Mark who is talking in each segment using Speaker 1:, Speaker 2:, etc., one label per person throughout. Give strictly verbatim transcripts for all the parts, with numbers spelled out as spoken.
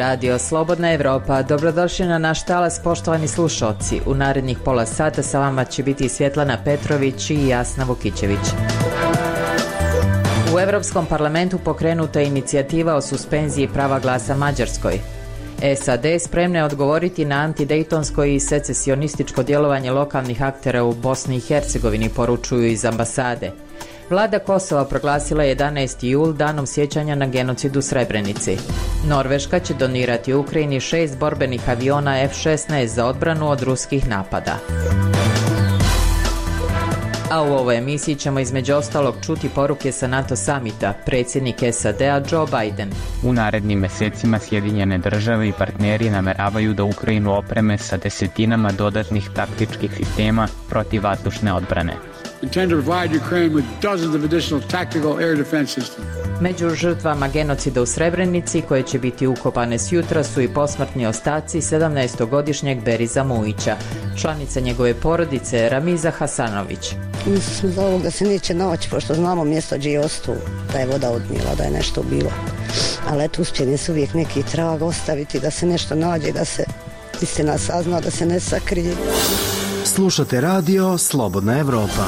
Speaker 1: Radio Slobodna Evropa. Dobrodošli na naš talas, poštovani slušalci. U narednih pola sata sa vama će biti Svjetlana Petrović i Jasna Vukićević. U Europskom parlamentu pokrenuta je inicijativa o suspenziji prava glasa Mađarskoj. S A D spremna je odgovoriti na antidejtonsko i secesionističko djelovanje lokalnih aktera u Bosni i Hercegovini, poručuju iz ambasade. Vlada Kosova proglasila jedanaesti jul danom sjećanja na genocid u Srebrenici. Norveška će donirati Ukrajini šest borbenih aviona F šesnaest za odbranu od ruskih napada. A u ovoj emisiji ćemo između ostalog čuti poruke sa NATO samita, predsjednik S A D-a Joe Biden.
Speaker 2: U narednim mjesecima Sjedinjene države i partneri nameravaju da Ukrajinu opreme sa desetinama dodatnih taktičkih sistema protivvazdušne odbrane.
Speaker 1: Među žrtvama genocida u Srebrenici, koje će biti ukopane sjutra, su i posmrtni ostaci sedamnaestogodišnjeg Beriza Mujića. Članica njegove porodice Ramiza Hasanović.
Speaker 3: Mislili smo za ovog da se neće naći, pošto znamo mjesto gdje je ostao, da je voda odnijela, da je nešto bilo. Ali eto, uspjeni su uvijek neki trag ostaviti, da se nešto nađe, da se istina sazna, da se ne sakrije.
Speaker 4: Slušate radio Slobodna Evropa.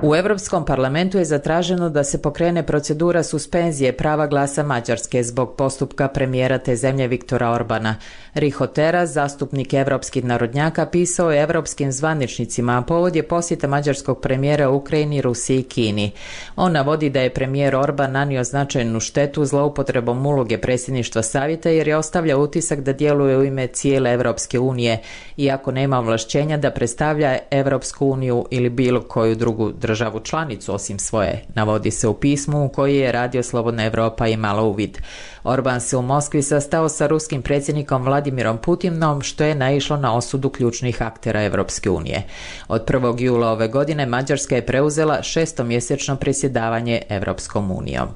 Speaker 1: U Europskom parlamentu je zatraženo da se pokrene procedura suspenzije prava glasa Mađarske zbog postupka premijera te zemlje Viktora Orbana. Riho Teras, zastupnik evropskih narodnjaka, pisao je evropskim zvaničnicima, a povod je posjeta mađarskog premijera u Ukrajini, Rusiji i Kini. On navodi da je premijer Orban nanio značajnu štetu zloupotrebom uloge predsjedništva savjeta jer je ostavlja utisak da djeluje u ime cijele Europske unije, iako nema ovlašćenja da predstavlja Europsku uniju ili bilo koju drugu državu. državu članicu osim svoje, navodi se u pismu u koji je Radio Slobodna Evropa imala uvid. Orban se u Moskvi sastao sa ruskim predsjednikom Vladimirom Putinom, što je naišlo na osudu ključnih aktera Evropske unije. Od prvog jula ove godine Mađarska je preuzela šestomjesečno predsjedavanje Evropskom unijom.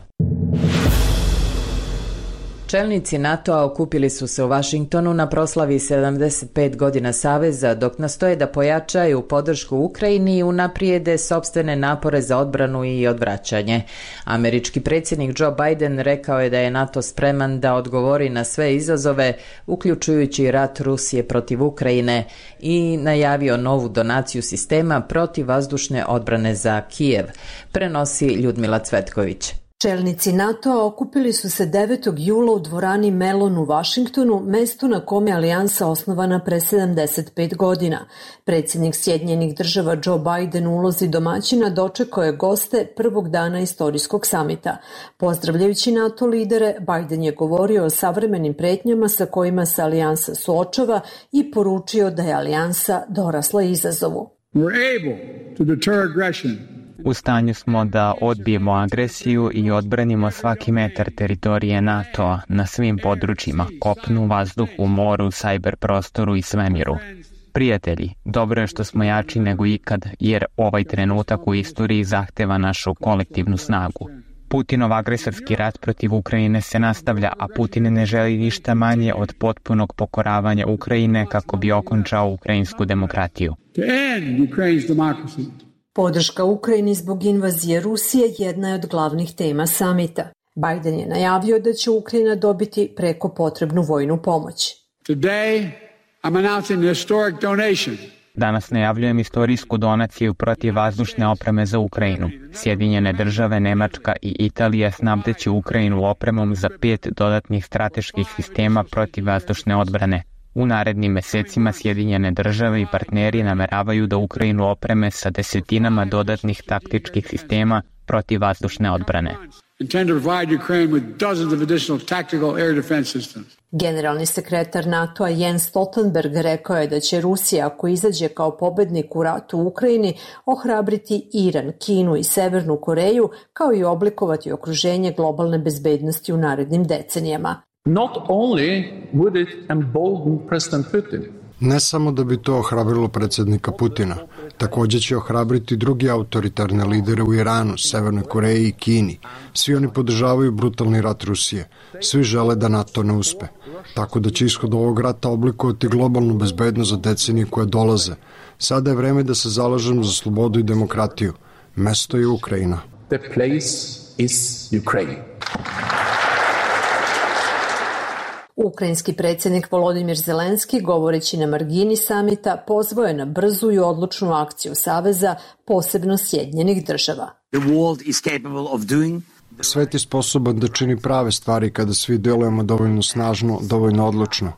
Speaker 1: Čelnici NATO-a okupili su se u Washingtonu na proslavi sedamdeset pet godina Saveza, dok nastoje da pojačaju podršku Ukrajini i unaprijede sopstvene napore za odbranu i odvraćanje. Američki predsjednik Joe Biden rekao je da je NATO spreman da odgovori na sve izazove, uključujući rat Rusije protiv Ukrajine, i najavio novu donaciju sistema protivvazdušne odbrane za Kijev, prenosi Ljudmila Cvetković.
Speaker 5: Čelnici NATO-a okupili su se devetog jula u dvorani Mellon u Vašingtonu, mestu na kome je alijansa osnovana pre sedamdeset pet godina. Predsjednik Sjedinjenih država Joe Biden u ulozi domaćina dočekao je goste prvog dana istorijskog samita. Pozdravljajući NATO lidere, Biden je govorio o savremenim pretnjama sa kojima se alijansa suočava i poručio da je alijansa dorasla izazovu.
Speaker 6: We're able to deter aggression.
Speaker 2: U stanju smo da odbijemo agresiju i odbranimo svaki metar teritorije NATO-a na svim područjima, kopnu, vazduhu, moru, sajber prostoru i svemiru. Prijatelji, dobro je što smo jači nego ikad, jer ovaj trenutak u istoriji zahteva našu kolektivnu snagu. Putinov agresorski rat protiv Ukrajine se nastavlja, a Putin ne želi ništa manje od potpunog pokoravanja Ukrajine kako bi okončao ukrajinsku demokratiju.
Speaker 6: To end Ukraine's democracy.
Speaker 5: Podrška Ukrajini zbog invazije Rusije jedna je od glavnih tema samita. Biden je najavio da će Ukrajina dobiti preko potrebnu vojnu pomoć.
Speaker 6: Today, I'm announcing a historic donation.
Speaker 2: Danas najavljujem istorijsku donaciju protivvazdušne opreme za Ukrajinu. Sjedinjene države, Nemačka i Italija snabdeće Ukrajinu opremom za pet dodatnih strateških sistema protivvazdušne odbrane. U narednim mjesecima Sjedinjene države i partneri nameravaju da Ukrajinu opreme sa desetinama dodatnih taktičkih sistema protivvazdušne odbrane.
Speaker 5: Generalni sekretar NATO-a Jens Stoltenberg rekao je da će Rusija, ako izađe kao pobednik u ratu u Ukrajini, ohrabriti Iran, Kinu i Severnu Koreju, kao i oblikovati okruženje globalne bezbednosti u narednim decenijama.
Speaker 7: Not only would it embolden President Putin.
Speaker 8: Ne samo da bi to ohrabrilo predsjednika Putina, također će ohrabriti drugi autoritarne lidere u Iranu, Severnoj Koreji i Kini. Svi oni podržavaju brutalni rat Rusije. Svi žele da NATO ne uspe. Tako da će ishod ovog rata oblikovati globalnu bezbednost za decenije koje dolaze. Sada je vreme da se zalažemo za slobodu i demokratiju. Mesto je Ukrajina.
Speaker 7: The place is Ukraine.
Speaker 5: Ukrajinski predsjednik Volodimir Zelenski, govoreći na margini samita, pozvao je na brzu i odlučnu akciju Saveza, posebno Sjedinjenih država.
Speaker 9: The world is capable of doing
Speaker 8: Svet je sposoban da čini prave stvari kada svi delujemo dovoljno snažno, dovoljno odlučno.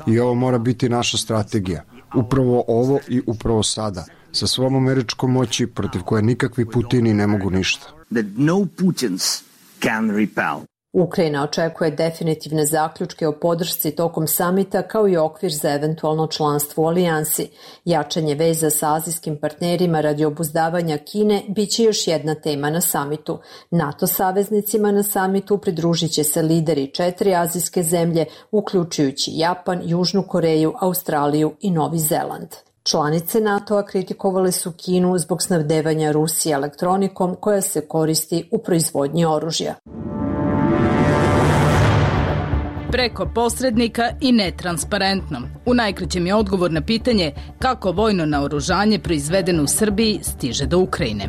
Speaker 8: I ovo mora biti naša strategija. Upravo ovo i upravo sada. Sa svom američkom moći protiv koje nikakvi Putini ne mogu ništa.
Speaker 9: That no Putins can repel.
Speaker 5: Ukrajina očekuje definitivne zaključke o podršci tokom samita kao i okvir za eventualno članstvo u alijansi. Jačanje veza sa azijskim partnerima radi obuzdavanja Kine biće još jedna tema na samitu. NATO saveznicima na samitu pridružit će se lideri četiri azijske zemlje, uključujući Japan, Južnu Koreju, Australiju i Novi Zeland. Članice NATO-a kritikovale su Kinu zbog snabdevanja Rusije elektronikom koja se koristi u proizvodnji oružja.
Speaker 10: Preko posrednika i netransparentno. U najkraćem je odgovor na pitanje kako vojno naoružanje proizvedeno u Srbiji stiže do Ukrajine.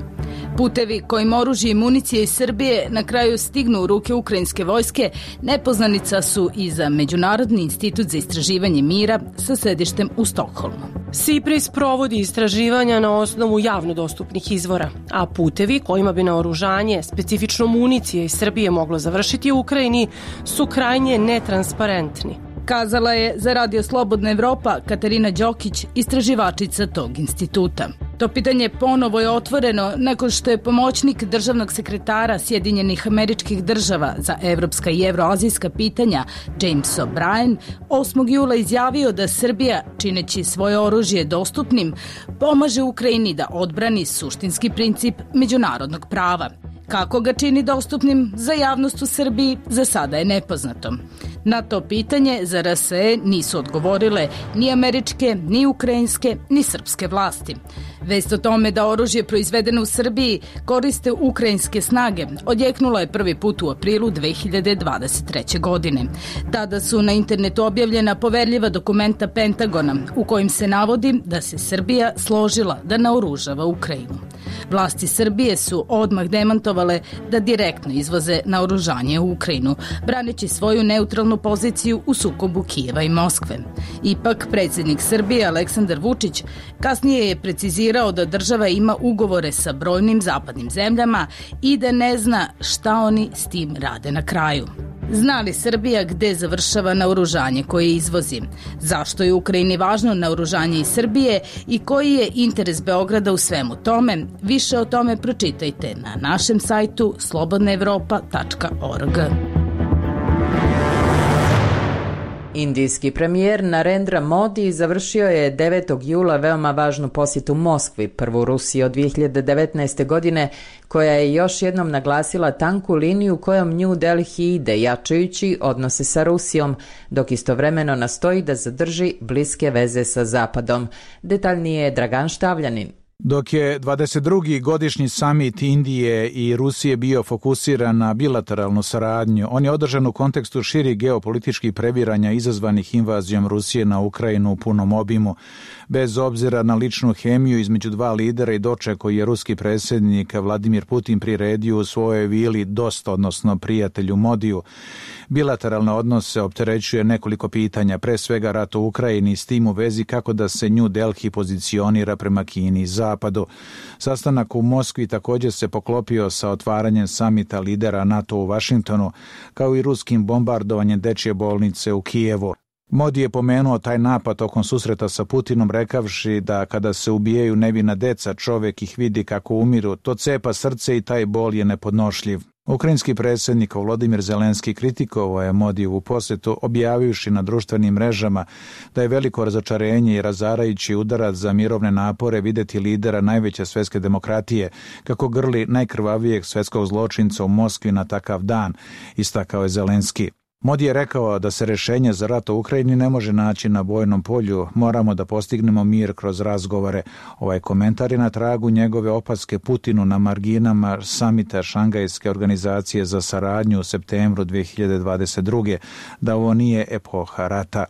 Speaker 10: Putevi kojim oružje i municije iz Srbije na kraju stignu u ruke ukrajinske vojske nepoznanica su i za Međunarodni institut za istraživanje mira sa sedištem u Stokholmu.
Speaker 11: SIPRIS provodi istraživanja na osnovu javno dostupnih izvora, a putevi kojima bi naoružanje, specifično municije iz Srbije moglo završiti u Ukrajini, su krajnje netransparentni.
Speaker 10: Kazala je za Radio Slobodna Evropa Katarina Đokić, istraživačica tog instituta. To pitanje ponovo je otvoreno nakon što je pomoćnik državnog sekretara Sjedinjenih Američkih Država za evropska i evroazijska pitanja James O'Brien osmog jula izjavio da Srbija, čineći svoje oružje dostupnim, pomaže Ukrajini da odbrani suštinski princip međunarodnog prava. Kako ga čini dostupnim za javnost u Srbiji, za sada je nepoznato. Na to pitanje za R S E nisu odgovorile ni američke, ni ukrajinske, ni srpske vlasti. Vest o tome da oružje proizvedeno u Srbiji koriste ukrajinske snage odjeknula je prvi put u aprilu dve hiljade dvadeset treće. godine. Tada su na internetu objavljena poverljiva dokumenta Pentagona u kojim se navodi da se Srbija složila da naoružava Ukrajinu. Vlasti Srbije su odmah demantovale da direktno izvoze naoružanje u Ukrajinu, braneći svoju neutralnu poziciju u sukobu Kijeva i Moskve. Ipak, predsjednik Srbije Aleksandar Vučić kasnije je precizirao da država ima ugovore sa brojnim zapadnim zemljama i da ne zna šta oni s tim rade na kraju. Zna li Srbija gde završava naoružanje koje izvozi? Zašto je Ukrajini važno naoružanje iz Srbije i koji je interes Beograda u svemu tome? Više o tome pročitajte na našem sajtu slobodna evropa tačka org.
Speaker 1: Indijski premijer Narendra Modi završio je devetog jula veoma važnu posjetu Moskvi, prvu Rusiji od dvije hiljade devetnaeste. godine, koja je još jednom naglasila tanku liniju kojom New Delhi ide, jačajući odnose sa Rusijom, dok istovremeno nastoji da zadrži bliske veze sa Zapadom. Detaljnije je Dragan Štavljanin.
Speaker 12: Dok je dvadeset drugi godišnji samit Indije i Rusije bio fokusiran na bilateralnu saradnju, on je održan u kontekstu širih geopolitičkih previranja izazvanih invazijom Rusije na Ukrajinu u punom obimu. Bez obzira na ličnu hemiju između dva lidera i doček koji je ruski predsjednik Vladimir Putin priredio u svojoj vili Dost, odnosno prijatelju Modiju. Bilateralne odnose opterećuje nekoliko pitanja, pre svega rat u Ukrajini, s tim u vezi kako da se New Delhi pozicionira prema Kini i Zapadu. Sastanak u Moskvi također se poklopio sa otvaranjem samita lidera NATO u Vašingtonu, kao i ruskim bombardovanjem dečje bolnice u Kijevu. Modi je pomenuo taj napad tokom susreta sa Putinom, rekavši da kada se ubijaju nevina deca, čovjek ih vidi kako umiru, to cepa srce i taj bol je nepodnošljiv. Ukrajinski predsjednik Volodimir Zelenski kritikovao je Modijevu posjetu, objavivši na društvenim mrežama da je veliko razočarenje i razarajući udarac za mirovne napore vidjeti lidera najveće svjetske demokratije kako grli najkrvavijeg svjetskog zločinca u Moskvi na takav dan, istakao je Zelenski. Modi je rekao da se rješenje za rat u Ukrajini ne može naći na bojnom polju, moramo da postignemo mir kroz razgovore. Ovaj komentar je na tragu njegove opaske Putinu na marginama samita Šangajske organizacije za saradnju u septembru dve hiljade dvadeset druge. da ovo nije epoha rata.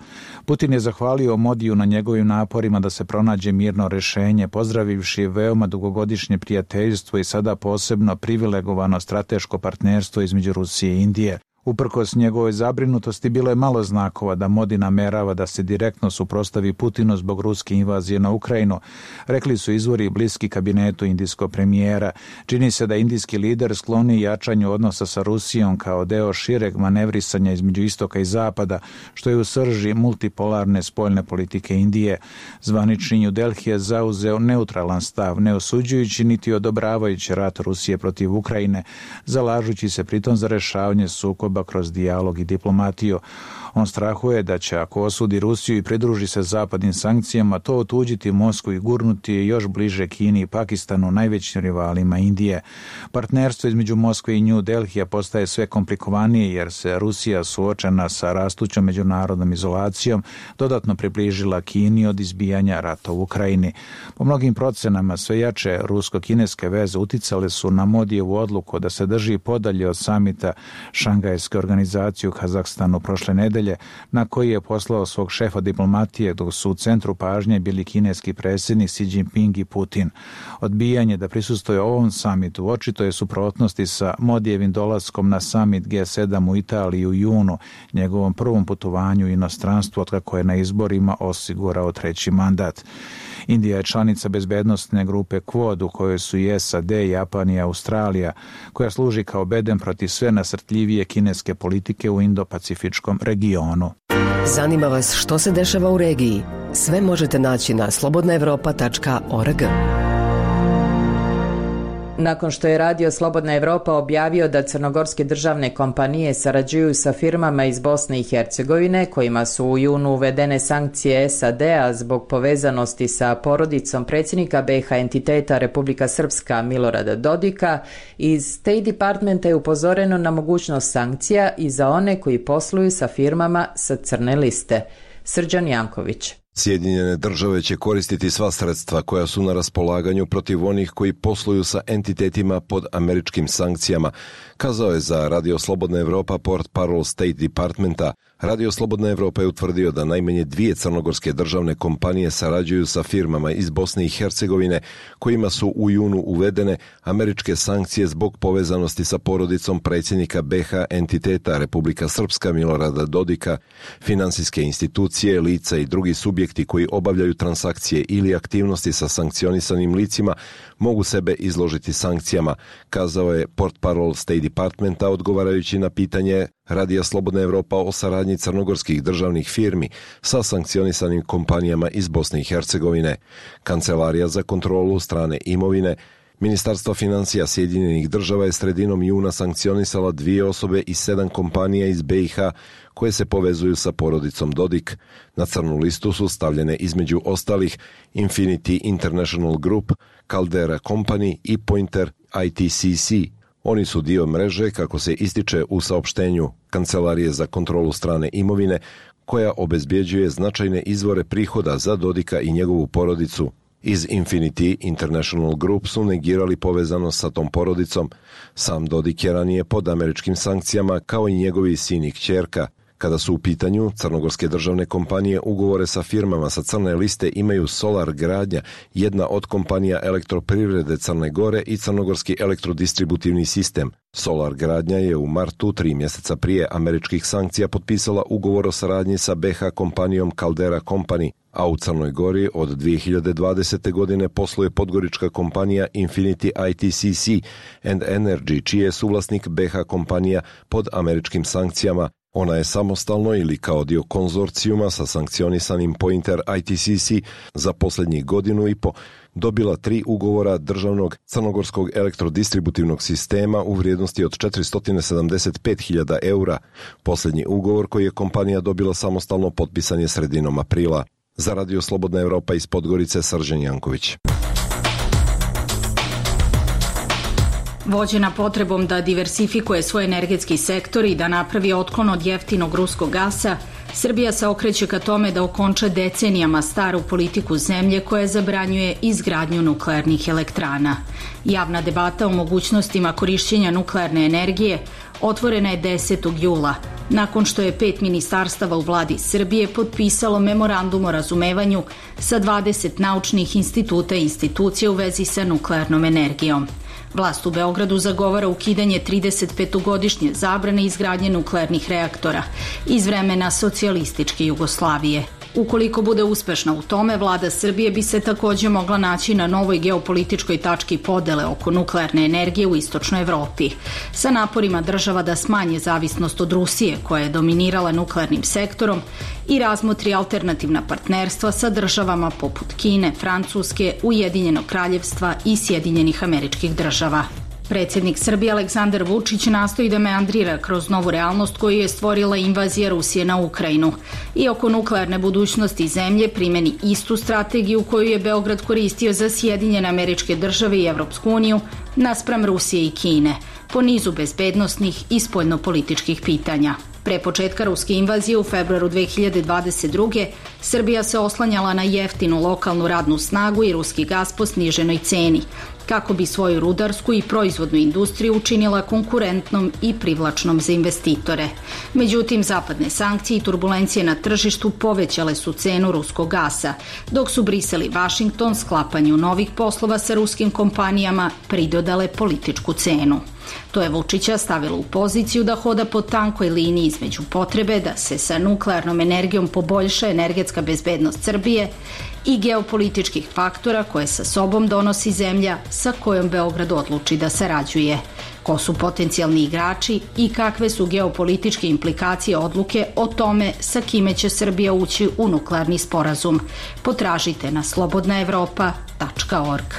Speaker 12: Putin je zahvalio Modiju na njegovim naporima da se pronađe mirno rješenje, pozdravivši veoma dugogodišnje prijateljstvo i sada posebno privilegovano strateško partnerstvo između Rusije i Indije. Uprkos njegovoj zabrinutosti bilo je malo znakova da Modi namerava da se direktno suprotstavi Putinu zbog ruske invazije na Ukrajinu, rekli su izvori bliski kabinetu indijskog premijera. Čini se da indijski lider skloni jačanju odnosa sa Rusijom kao deo šireg manevrisanja između istoka i zapada, što je u srži multipolarne spoljne politike Indije. Zvanični New Delhi je zauzeo neutralan stav, ne osuđujući niti odobravajući rat Rusije protiv Ukrajine, zalažući se pritom za rešavanje sukoba kroz dijalog i diplomatiju. On strahuje da će, ako osudi Rusiju i pridruži se zapadnim sankcijama, to otuđiti Moskvu i gurnuti je još bliže Kini i Pakistanu, najvećim rivalima Indije. Partnerstvo između Moskve i New Delhija postaje sve komplikovanije jer se Rusija, suočena sa rastućom međunarodnom izolacijom, dodatno približila Kini od izbijanja rata u Ukrajini. Po mnogim procenama sve jače rusko-kineske veze uticale su na Modijevu odluku da se drži podalje od samita Šangajske organizacije u Kazahstanu prošle nedelje, na koji je poslao svog šefa diplomatije, dok su u centru pažnje bili kineski predsjednik Xi Jinping i Putin. Odbijanje da prisustvuje ovom samitu očito je suprotnosti sa Modijevim dolaskom na samit G sedam u Italiji u junu, njegovom prvom putovanju u inostranstvu otkako je na izborima osigurao treći mandat. Indija je članica bezbednosne grupe Quad u kojoj su i S A D, Japan i Australija, koja služi kao bedem protiv sve nasrtljivije kineske politike u Indo-Pacifičkom regionu.
Speaker 13: Zanima vas što se dešava u regiji? Sve možete naći na slobodna evropa tačka org.
Speaker 1: Nakon što je radio Slobodna Evropa objavio da crnogorske državne kompanije sarađuju sa firmama iz Bosne i Hercegovine, kojima su u junu uvedene sankcije S A D-a zbog povezanosti sa porodicom predsjednika B iH entiteta Republika Srpska Milorada Dodika, iz State Departmenta je upozoreno na mogućnost sankcija i za one koji posluju sa firmama sa crne liste. Srđan Janković.
Speaker 14: Sjedinjene države će koristiti sva sredstva koja su na raspolaganju protiv onih koji posluju sa entitetima pod američkim sankcijama, kazao je za Radio Slobodna Evropa portparol State Departmenta. Radio Slobodna Evropa je utvrdio da najmanje dvije crnogorske državne kompanije sarađuju sa firmama iz Bosne i Hercegovine, kojima su u junu uvedene američke sankcije zbog povezanosti sa porodicom predsjednika B iH entiteta Republika Srpska Milorada Dodika. Finansijske institucije, lica i drugi subjekti koji obavljaju transakcije ili aktivnosti sa sankcionisanim licima mogu sebe izložiti sankcijama, kazao je portparol State Departmenta odgovarajući na pitanje Radija Slobodna Evropa o saradnji crnogorskih državnih firmi sa sankcionisanim kompanijama iz Bosne i Hercegovine. Kancelarija za kontrolu strane imovine Ministarstvo financija Sjedinjenih država je sredinom juna sankcionisala dvije osobe i sedam kompanija iz B iH koje se povezuju sa porodicom Dodik. Na crnu listu su stavljene između ostalih Infinity International Group, Caldera Company i Pointer I T C C. Oni su dio mreže, kako se ističe u saopštenju Kancelarije za kontrolu strane imovine, koja obezbjeđuje značajne izvore prihoda za Dodika i njegovu porodicu. Iz Infinity International Group su negirali povezanost sa tom porodicom. Sam Dodik je ranije pod američkim sankcijama, kao i njegovi sin i kćerka. Kada su u pitanju crnogorske državne kompanije, ugovore sa firmama sa crne liste imaju Solar Gradnja, jedna od kompanija elektroprivrede Crne Gore i crnogorski elektrodistributivni sistem. Solar Gradnja je u martu, tri mjeseca prije američkih sankcija, potpisala ugovor o saradnji sa B iH kompanijom Caldera Company, a u Crnoj Gori od dvije hiljade dvadesete. godine posluje podgorička kompanija Infinity I T C C and Energy, čiji je suvlasnik B iH kompanija pod američkim sankcijama. Ona je samostalno ili kao dio konzorcijuma sa sankcionisanim Pointer I T C C za posljednjih godinu i po dobila tri ugovora državnog crnogorskog elektrodistributivnog sistema u vrijednosti od četiristo sedamdeset pet hiljada eura. Posljednji ugovor koji je kompanija dobila samostalno potpisan je sredinom aprila. Za Radio Slobodna Evropa iz Podgorice, Srđan Janković.
Speaker 10: Vođena potrebom da diversifikuje svoj energetski sektor i da napravi otklon od jeftinog ruskog gasa, Srbija se okreće ka tome da okonča decenijama staru politiku zemlje koja zabranjuje izgradnju nuklearnih elektrana. Javna debata o mogućnostima korišćenja nuklearne energije otvorena je desetog jula, nakon što je pet ministarstava u vladi Srbije potpisalo memorandum o razumevanju sa dvadeset naučnih instituta i institucija u vezi sa nuklearnom energijom.
Speaker 15: Vlast u Beogradu zagovara ukidanje trideset petogodišnje zabrane izgradnje nuklearnih reaktora iz vremena socijalističke Jugoslavije. Ukoliko bude uspešna u tome, vlada Srbije bi se takođe mogla naći na novoj geopolitičkoj tački podele oko nuklearne energije u istočnoj Evropi. Sa naporima država da smanje zavisnost od Rusije, koja je dominirala nuklearnim sektorom, i razmotri alternativna partnerstva sa državama poput Kine, Francuske, Ujedinjenog kraljevstva i Sjedinjenih Američkih Država. Predsjednik Srbije Aleksandar Vučić nastoji da meandrira kroz novu realnost koju je stvorila invazija Rusije na Ukrajinu i oko nuklearne budućnosti zemlje primeni istu strategiju koju je Beograd koristio za Sjedinjene Američke Države i Evropsku uniju naspram Rusije i Kine, po nizu bezbednosnih i spoljnopolitičkih pitanja. Pre početka ruske invazije u februaru dve hiljade dvadeset druge. Srbija se oslanjala na jeftinu lokalnu radnu snagu i ruski gas po sniženoj ceni, kako bi svoju rudarsku i proizvodnu industriju učinila konkurentnom i privlačnom za investitore. Međutim, zapadne sankcije i turbulencije na tržištu povećale su cenu ruskog gasa, dok su Brisel i Vašington sklapanju novih poslova sa ruskim kompanijama pridodale političku cenu. To je Vučića stavilo u poziciju da hoda po tankoj liniji između potrebe da se sa nuklearnom energijom poboljša energetska bezbednost Srbije i geopolitičkih faktora koje sa sobom donosi zemlja sa kojom Beograd odluči da sarađuje. Ko su potencijalni igrači i kakve su geopolitičke implikacije odluke o tome sa kime će Srbija ući u nuklearni sporazum? Potražite na slobodna evropa tačka org.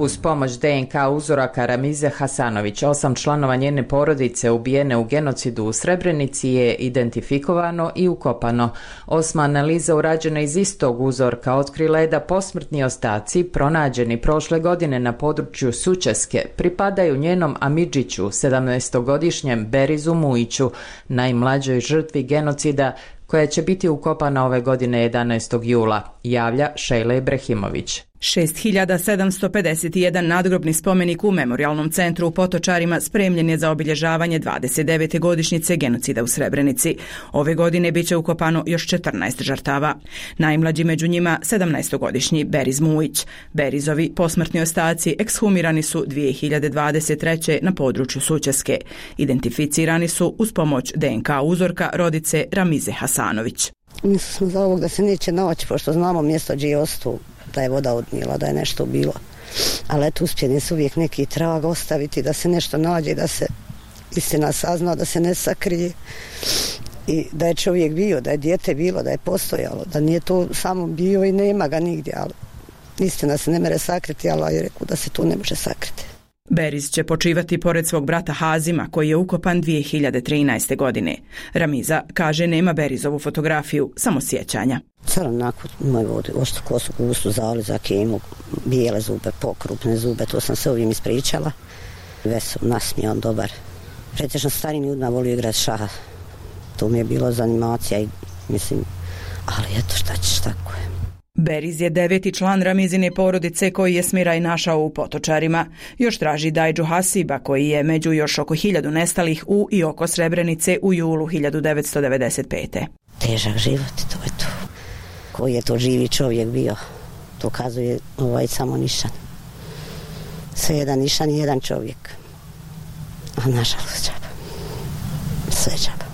Speaker 1: Uz pomoć de en ka uzoraka Ramize Hasanović, osam članova njene porodice ubijene u genocidu u Srebrenici je identifikovano i ukopano. Osma analiza urađena iz istog uzorka otkrila je da posmrtni ostaci, pronađeni prošle godine na području Sučeske, pripadaju njenom amidžiću, sedamnaestogodišnjem Berizu Mujiću, najmlađoj žrtvi genocida, koja će biti ukopana ove godine jedanaestog jula, javlja Šejla Ibrahimović.
Speaker 16: šest hiljada sedamsto pedeset jedan nadgrobni spomenik u Memorijalnom centru u Potočarima spremljen je za obilježavanje dvadeset devete godišnjice genocida u Srebrenici. Ove godine biće ukopano još četrnaest žrtava. Najmlađi među njima sedamnaestogodišnji Beriz Mujić. Berizovi posmrtni ostaci ekshumirani su dve hiljade dvadeset treće. na području Sučeske. Identificirani su uz pomoć de en ka uzorka rodice Ramize Hasanović.
Speaker 3: Mislili smo za ovog da se neće naći, pošto znamo mjesto gdje je ostao, da je voda odnijela, da je nešto bilo. Ali eto, uspjeni su uvijek neki trag ostaviti, da se nešto nađe, da se istina sazna, da se ne sakrije. I da je čovjek bio, da je dijete bilo, da je postojalo, da nije to samo bio i nema ga nigdje, ali istina se ne mere sakriti, ali je rekao da se to ne može sakriti.
Speaker 16: Beriz će počivati pored svog brata Hazima, koji je ukopan dve hiljade trinaeste. godine. Ramiza kaže nema Berizovu fotografiju, samo sjećanja.
Speaker 3: Crn nakon moj vodi, oštru kosu, gustu, zalizak, imu, bijele zube, pokrupne zube, to sam se ovim ispričala. Vesel, nasmijan, dobar. Pretežno starim ljudima volio igrati šaha. To mi je bilo za animacija i mislim, ali eto šta ćeš, tako je.
Speaker 16: Beriz je deveti član Ramizine porodice koji je smiraj našao u Potočarima. Još traži Dajđu Hasiba koji je među još oko hiljadu nestalih u i oko Srebrenice u julu hiljadu devetsto devedeset pete.
Speaker 3: Težak život, to je to. Koji je to živi čovjek bio, to kazuje ovaj samo nišan. Sve jedan nišan i jedan čovjek. A nažalost džaba. Sve džaba.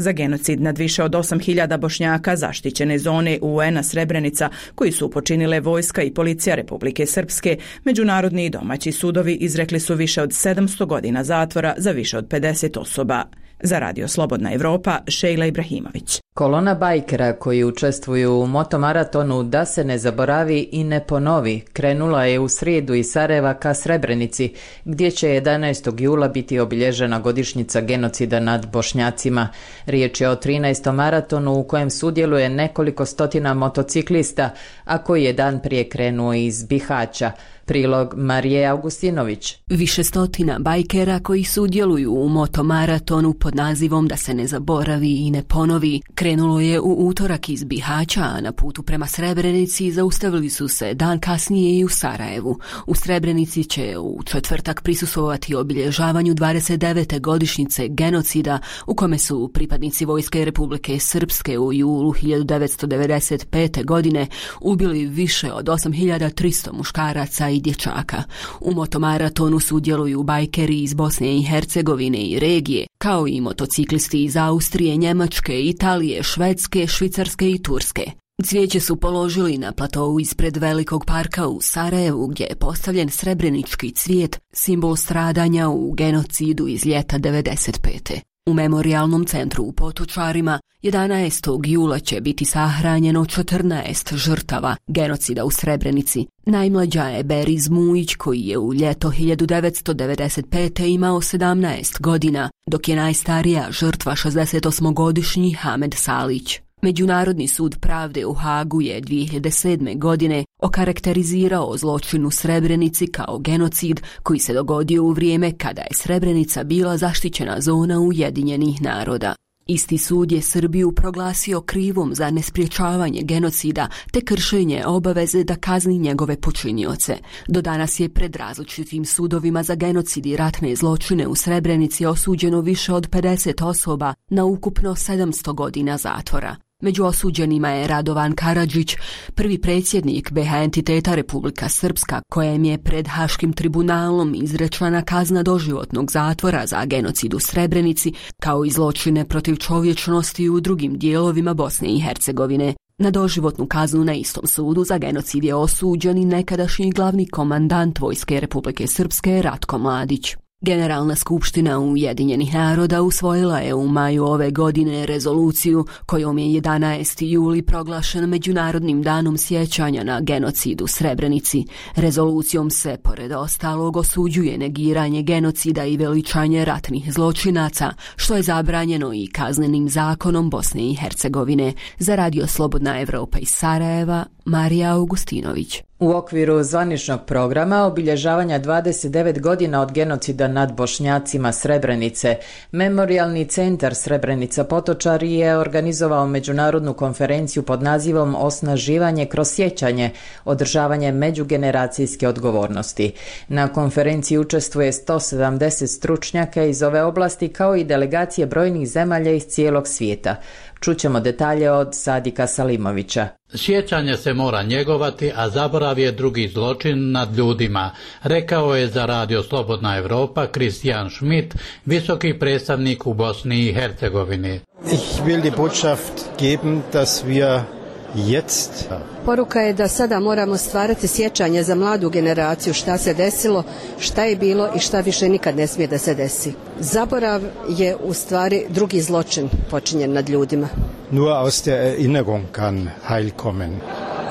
Speaker 16: Za genocid nad više od osam hiljada Bošnjaka zaštićene zone U en a Srebrenica, koji su počinile vojska i policija Republike Srpske, međunarodni i domaći sudovi izrekli su više od sedamsto godina zatvora za više od pedeset osoba. Za Radio Slobodna Evropa, Šejla Ibrahimović.
Speaker 1: Kolona bajkera koji učestvuju u motomaratonu Da se ne zaboravi i ne ponovi krenula je u srijedu iz Sarajeva ka Srebrenici, gdje će jedanaestog jula biti obilježena godišnjica genocida nad Bošnjacima. Riječ je o trinaestom maratonu u kojem sudjeluje nekoliko stotina motociklista, a koji je dan prije krenuo iz Bihaća. Prilog Marije Augustinović.
Speaker 17: Više stotina bajkera koji sudjeluju u motomaratonu pod nazivom Da se ne zaboravi i ne ponovi Krenulo je u utorak iz Bihaća, a na putu prema Srebrenici zaustavili su se dan kasnije i u Sarajevu. U Srebrenici će u četvrtak prisustvovati obilježavanju dvadeset devete godišnjice genocida u kome su pripadnici Vojske Republike Srpske u julu hiljadu devetsto devedeset pete. godine ubili više od osam hiljada tristo muškaraca i dječaka. U motomaratonu sudjeluju bajkeri iz Bosne i Hercegovine i regije, kao i motociklisti iz Austrije, Njemačke, Italije, Švedske, Švicarske i Turske. Cvijeće su položili na platovu ispred Velikog parka u Sarajevu, gdje je postavljen srebrenički cvijet, simbol stradanja u genocidu iz ljeta devedeset pete. U memorijalnom centru u Potočarima jedanaestog jula će biti sahranjeno četrnaest žrtava genocida u Srebrenici. Najmlađa je Beriz Mujić, koji je u ljeto hiljadu devetsto devedeset pete. imao sedamnaest godina, dok je najstarija žrtva šezdesetosmogodišnji Hamed Salić. Međunarodni sud pravde u Hagu je dvije hiljade sedme. godine okarakterizirao zločin u Srebrenici kao genocid koji se dogodio u vrijeme kada je Srebrenica bila zaštićena zona Ujedinjenih naroda. Isti sud je Srbiju proglasio krivom za nespriječavanje genocida te kršenje obaveze da kazni njegove počinioce. Do danas je pred različitim sudovima za genocid i ratne zločine u Srebrenici osuđeno više od pedeset osoba na ukupno sedamsto godina zatvora. Među osuđenima je Radovan Karadžić, prvi predsjednik be ha entiteta Republika Srpska, kojem je pred Haškim tribunalom izrečena kazna doživotnog zatvora za genocid u Srebrenici, kao i zločine protiv čovječnosti u drugim dijelovima Bosne i Hercegovine. Na doživotnu kaznu na istom sudu za genocid je osuđen i nekadašnji glavni komandant Vojske Republike Srpske Ratko Mladić. Generalna skupština Ujedinjenih naroda usvojila je u maju ove godine rezoluciju kojom je jedanaesti juli proglašen Međunarodnim danom sjećanja na genocid u Srebrenici. Rezolucijom se, pored ostalog, osuđuje negiranje genocida i veličanje ratnih zločinaca, što je zabranjeno i kaznenim zakonom Bosne i Hercegovine. Za Radio Slobodna Evropa iz Sarajeva, Marija Augustinović.
Speaker 1: U okviru zvaničnog programa obilježavanja dvadeset devet godina od genocida nad Bošnjacima Srebrenice, Memorijalni centar Srebrenica Potočari je organizovao međunarodnu konferenciju pod nazivom Osnaživanje kroz sjećanje, održavanje međugeneracijske odgovornosti. Na konferenciji učestvuje sto sedamdeset stručnjaka iz ove oblasti kao i delegacije brojnih zemalja iz cijelog svijeta. Čućemo detalje od Sadika Salimovića.
Speaker 18: Sjećanje se mora njegovati, a zaborav je drugi zločin nad ljudima, rekao je za Radio Slobodna Evropa Christian Schmidt, visoki predstavnik u Bosni i Hercegovini.
Speaker 19: Ich will die Botschaft geben, dass wir jetzt.
Speaker 20: Poruka je da sada moramo stvarati sjećanje za mladu generaciju šta se desilo, šta je bilo i šta više nikad ne smije da se desi. Zaborav je u stvari drugi zločin počinjen nad ljudima.
Speaker 19: Nur aus der Erinnerung kann Heil kommen.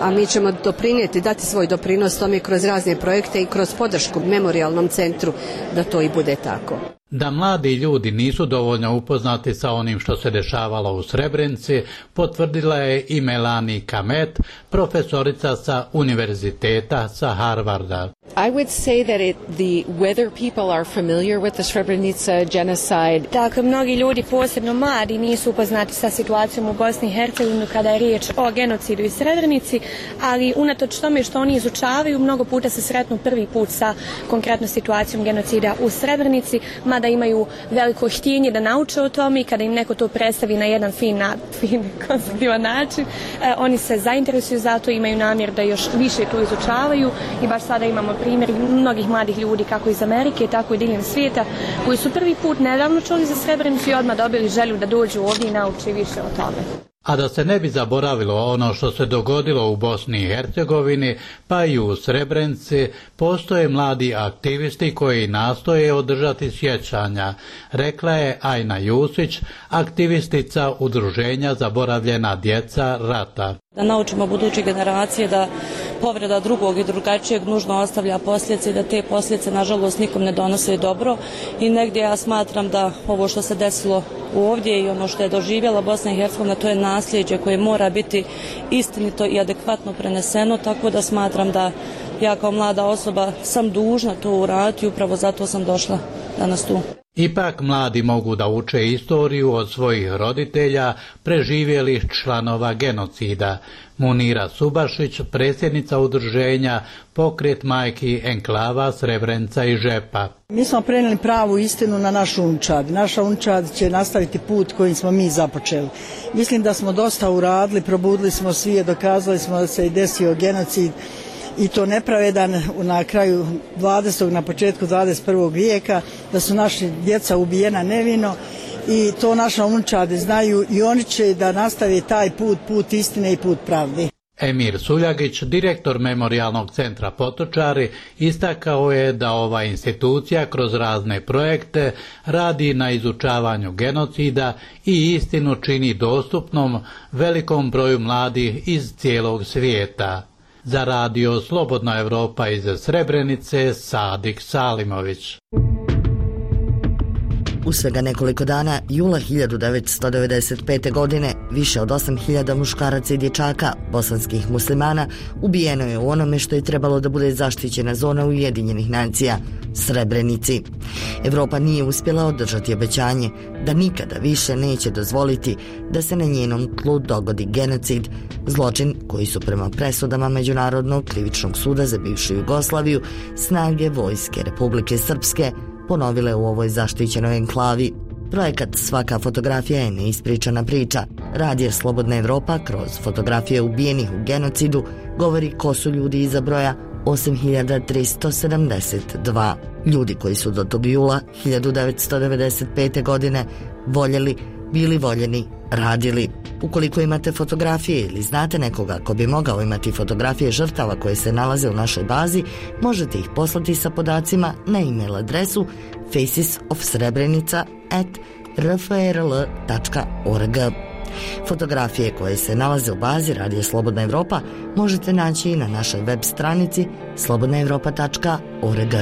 Speaker 20: A mi ćemo doprinijeti, dati svoj doprinos tome kroz razne projekte i kroz podršku Memorijalnom centru da to i bude tako.
Speaker 18: Da mladi ljudi nisu dovoljno upoznati sa onim što se dešavalo u Srebrenici, potvrdila je i Melanie Kamet, profesorica sa univerziteta sa Harvarda.
Speaker 21: I would say that it, the whether people are familiar with the Srebrenica genocide.
Speaker 22: Dakle, mnogi ljudi, posebno mladi, nisu upoznati sa situacijom u Bosni i Hercegovini kada je riječ o genocidu i Srebrenici, ali unatoč tome što oni izučavaju, mnogo puta se sretnu prvi put sa konkretno situacijom genocida u Srebrenici, mada imaju veliko htjenje da nauče o tome i kada im neko to predstavi na jedan fin, fin konstruktivan način, eh, oni se zainteresuju za to, imaju namjer da još više to izučavaju i baš sada imamo primjer mnogih mladih ljudi kako iz Amerike, tako i diljem svijeta, koji su prvi put nedavno čuli za Srebrenicu i odmah dobili želju da dođu ovdje i nauče više o tome.
Speaker 18: A da se ne bi zaboravilo ono što se dogodilo u Bosni i Hercegovini, pa i u Srebrenici, postoje mladi aktivisti koji nastoje održati sjećanja, rekla je Ajna Jusić, aktivistica Udruženja Zaboravljena djeca rata.
Speaker 23: Da naučimo buduće generacije da povreda drugog i drugačijeg nužno ostavlja posljedice i da te posljedice nažalost nikom ne donose dobro i negdje ja smatram da ovo što se desilo ovdje i ono što je doživjela Bosna i Hercegovina, to je nasljeđe koje mora biti istinito i adekvatno preneseno, tako da smatram da ja kao mlada osoba sam dužna to uraditi i upravo zato sam došla danas tu.
Speaker 18: Ipak mladi mogu da uče istoriju od svojih roditelja, preživjelih članova genocida. Munira Subašić, predsjednica udruženja Pokret majki enklava Srebrenica i Žepa.
Speaker 2: Mi smo prenijeli pravu istinu na našu unčad. Naša unčad će nastaviti put kojim smo mi započeli. Mislim da smo dosta uradili, probudili smo svi, dokazali smo da se i desio genocid i to nepravedan na kraju dvadesetog na početku dvadeset prvog vijeka, da su naši djeca ubijena nevino i to naša unčade znaju i oni će da nastave taj put, put istine i put pravde.
Speaker 18: Emir Suljagić, direktor Memorijalnog centra Potočari, istakao je da ova institucija kroz razne projekte radi na izučavanju genocida i istinu čini dostupnom velikom broju mladih iz cijelog svijeta. Za radio Slobodna Evropa iz Srebrenice, Sadik Salimović.
Speaker 4: U svega nekoliko dana, jula hiljadu devetsto devedeset pete. godine, više od osam hiljada muškaraca i dječaka, bosanskih muslimana, ubijeno je u onome što je trebalo da bude zaštićena zona Ujedinjenih nacija, Srebrenici. Evropa nije uspjela održati obećanje da nikada više neće dozvoliti da se na njenom tlu dogodi genocid, zločin koji su prema presudama Međunarodnog krivičnog suda za bivšu Jugoslaviju snage vojske Republike Srpske ponovile u ovoj zaštićenoj enklavi. Projekat Svaka fotografija je neispričana priča. Radio Slobodna Evropa kroz fotografije ubijenih u genocidu govori ko su ljudi iza broja osam hiljada tristo sedamdeset dva. Ljudi koji su do tog jula hiljadu devetsto devedeset pete. godine voljeli, bili voljeni, radili. Ukoliko imate fotografije ili znate nekoga ko bi mogao imati fotografije žrtava koje se nalaze u našoj bazi, možete ih poslati sa podacima na e-mail adresu faces of srebrenica at r f r l tačka org. Fotografije koje se nalaze u bazi Radio Slobodna Evropa možete naći i na našoj web stranici slobodna evropa tačka org.